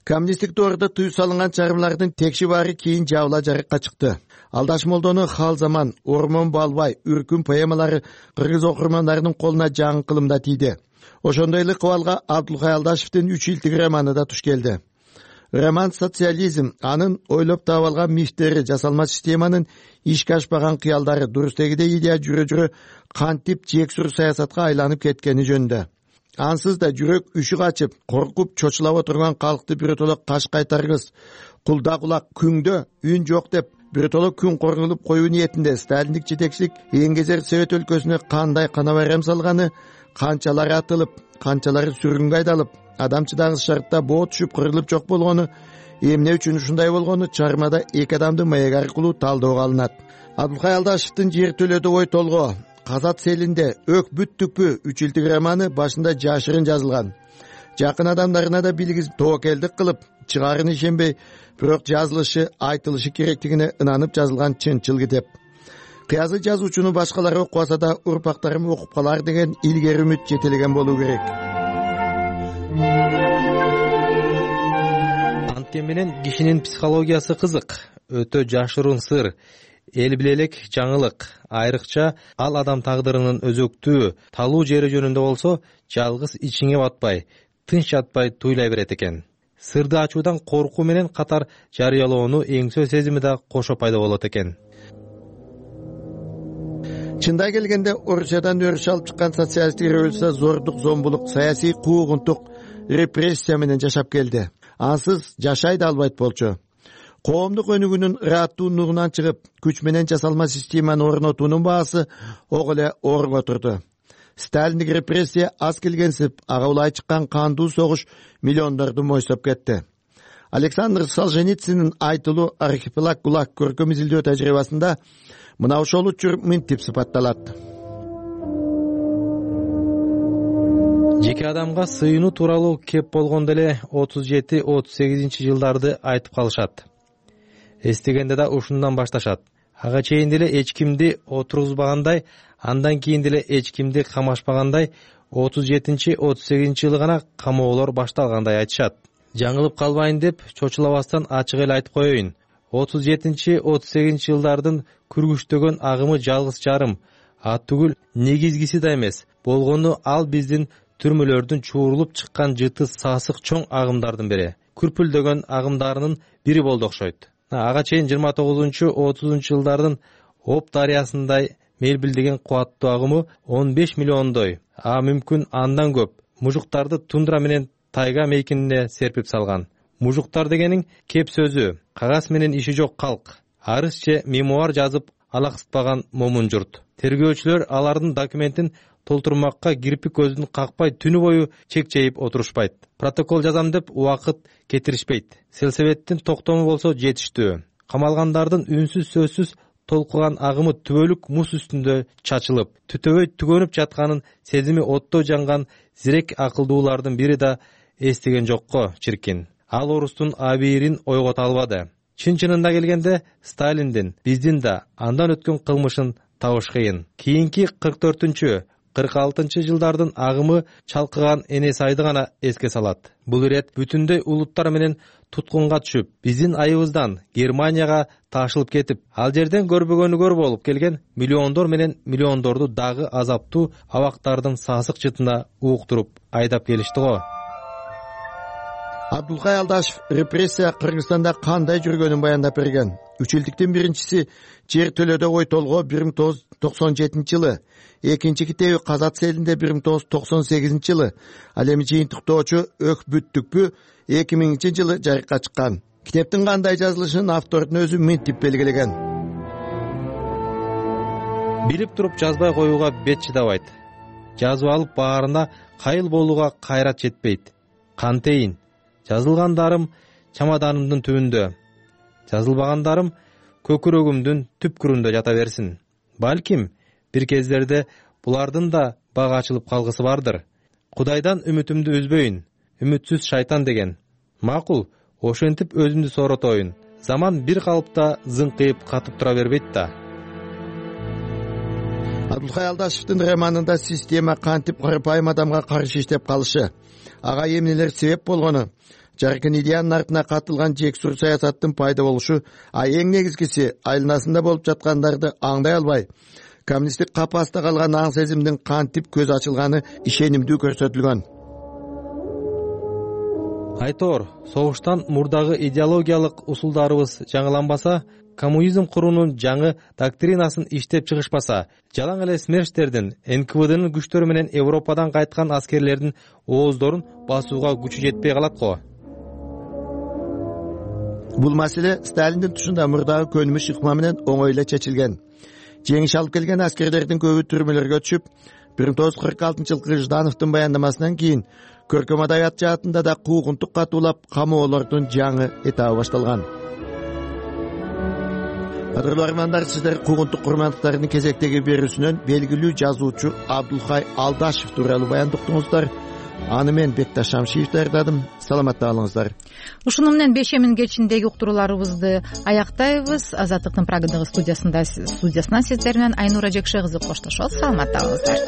коммунисттик доордо тыюу салынган чыгармалардын текши баары кийин жабыла жарыкка чыкты. Алдаш молдонун Хал заман, Ормон Балбай, Үркүн поэмалары кыргыз окурмандарынын колуна жаңы кылымда тийди. Ошондой эле кыбалга Абдулкай Алдашевдин үч илтик романы да туш келди. Роман социализм, анын ойлоп таап алган мифтери, жасалма системанын ишке ашпаган кыялдары, дурустегидей идея жүрө-жүрө кантип жексур саясатка айланып кеткени жөнүндө. Ансыз да жүрөк үшү качып, коркуп чочулап отурган калкты биротоло каш кайтаргыс, кулда кулак күңдө үн жок деп биротоло күн коргулуп коюу ниетинде сталиндик жетекчилик эңгезер Совет өлкөсүнө кандай кана байрам салганы, канчалары атылып, канчалары сүргүнгө айдалып, адамчыдагы шартта боо түшүп кырылып жок болгону, эмне үчүн ушундай болгону чыгармада эки адамды маек аркылуу талдөөгө алынат. Абдулкай Алдашевдин Жер төлөдө ой толгоо, Казат селинде Өк бүттүкпү үч илтик романы башында жашырын жазылган. Жакын адамдарына да билгизип тоокелдик кылып, чыгарын ишенбей, бирок жазылышы, айтылышы керектигине ынанып жазылган чынчыл китеп. Кыязы жазуучуну башкалар окубаса да урпактарым окуп калар деген илгери үмүт жетелеген болуу керек. Анткени менен кишинин психологиясы кызык, өтө жашыруун сыр, эл биле элек жаңылык, айрыкча ал адам тагдырынын өзөктүү, талуу жери жөнүндө болсо, жалгыз ичиңе батпай, тынч жатпай туйлай берет экен. Сырды ачуудан коркуу менен катар жарыялоону эңсөө сезими да кошо пайда болот экен. Чында келгенде Орусиядан өрүш алып чыккан социалисттик революция зордук, зомбулук, саясий куугунтук, репрессия менен жашап келди. Ансыз жашай да албайт болчу. Коомдук өнүгүүнүн ырааттуулугунан чыгып, күч менен жасалма системаны орнотуунун баасы ого эле оорго турду. Сталиндик репрессия аз келгенсип, ага улай чыккан кандуу согуш миллиондорду мойсоп кетти. Александр Солженицинин айтылуу Архипелаг ГУЛАГ көркөм изилдөө тажрыйбасында мына ошол учур мынтип сыпатталат. Жеке адамга сыйынуу тууралуу кеп болгондо эле отуз жети отуз сегизинчи жылдарды айтып калышат. Эстегенде да ушундан башташат. Ага чейин деле эч кимди отургузбагандай, андан кийин деле эч кимди камашпагандай, отуз жетинчи отуз сегизинчи жылы гана камоолор башталгандай айтышат. Жаңылып калбайын деп чочулабастан ачык эле айтып коеюн. отуз жетинчи отуз сегизинчи жылдардын күргүчтөгөн агымы жалгыз жарым, а түгүл негизгиси да эмес. Болгону ал биздин түрмөлөрдүн чуурулуп чыккан жыты сасык чоң агымдардын бири. Күрпүлдөгөн агымдарынын бири болду окшойт. Ага чейин жыйырма тогузунчу отузунчу жылдардын Оп дарыясындай мелбилдеген кубаттуу агымы он беш миллиондой, а мүмкүн андан көп мужуктарды тундра менен тайга мейкинине серпип салган. Мужуктар дегениң кеп сөзү, кагаз менен иши жок калк. Арыз же мемуар жазып алаксытпаган момун журт. Тергөөчүлөр алардын документин толтурмакка кирпик көздүн какпай түнү бою чекчейип отурушпайт. Протокол жазам деп убакыт кетиришпейт. Селсебеттин токтому болсо жетиштүү. Камалгандардын үнсүз сөзсүз толкуган агымы түбөлүк муз үстүндө чачылып, түтөбөй түгөнүп жатканын сезими отто жанган зирек акылдуулардын бири да эстеген жокко чиркин. Ал орустун абийирин ойгото албады. Чын-чынында келгенде Сталиндин, биздин да андан өткөн кылмышын табыш кыйын. Кийинки кырк төртүнчү кырк алтынчы жылдардын агымы чалкыган Энес айды гана эске салат. Бул ирет бүтүндөй улуттар менен туткунга түшүп, биздин айыбыздан Германияга ташылып кетип, ал жерден көрбөгөнү көр болуп келген миллиондор менен миллиондорду дагы азаптуу абактардын сасык жытына уктуруп айдап келишти го. Абдулкай Алдашев репрессия Кыргызстанда кандай жүргөнүн баяндап берген. Үч илтиктин биринчиси Жер төлөдө ой толгоо бир миң тогуз жүз токсон жетинчи жылы, экинчи китеби Казат селинде бир миң тогуз жүз токсон сегизинчи жылы, ал эми жыйынтыктоочу Өк бүттүкпү эки миңинчи жылы жарыкка чыккан. Китептин кандай жазылышын автордун өзү мынтип белгилеген. Билип туруп жазбай коюуга бет чыдабайт. Жазып алып баарына кайыл болууга кайрат жетпейт. Кантейин жазылгандарым чамаданымдын түбүндө, жазылбагандарым көкүрөгүмдүн түпкүрүндө жата берсин. Балким бир кездерде булардын да бак ачылып калгысы бардыр. Кудайдан үмүтүмдү үзбөйүн, үмүтсүз шайтан деген. Макул, ошентип өзүмдү сооротоюн. Заман бир калыпта зыңкыйып катып тура бербейт да. Абдулкай Алдашевдин романында система кантип карапайым адамга каршы иштеп калышы, ага эмнелер себеп болгону, жаркын идеянын артына катылган жексур саясаттын пайда болушу, а эң негизгиси айланасында болуп жаткандарды аңдай албай коммунисттик капаста калган аң сезимдин кантип көз ачылганы ишенимдүү көрсөтүлгөн. Айтор, согуштан мурдагы идеологиялык усулдарыбыз жаңыланбаса, коммунизм куруунун жаңы доктринасын иштеп чыгышпаса, жалаң эле смерчтердин, эн ка вэ дынын күчтөрү менен Европадан кайткан аскерлердин ооздорун басууга күчү жетпей калат го. Бул маселе Сталиндин тушунда мурдагы көнүмүш ыкма менен оңой эле чечилген. Жеңиш алып келген аскерлердин көбү түрмөлөргө түшүп, бир миң тогуз жүз кырк алтынчы жылкы Ждановдун баяндамасынан кийин көркөм адабият жаатында да куугунтук катуулап, камоолордун жаңы этабы башталган. Кадырлуу армандар, сиздер куугунтук курмандыктардын кезектеги берүүсүнөн белгилүү жазуучу Абдулхай Алдашев тууралуу баян уктуңуздар. Аны мен Бекташ Шамшиев даярдадым. Саламатта калыңыздар. Ушуну менен бешемин кечиндеги уктурууларыбызды аяктайбыз. Азаттыктын Прагадагы студиясында студиясынан сиздер менен Айнура Жекше кызы коштошобуз. Саламатта калыңыздар.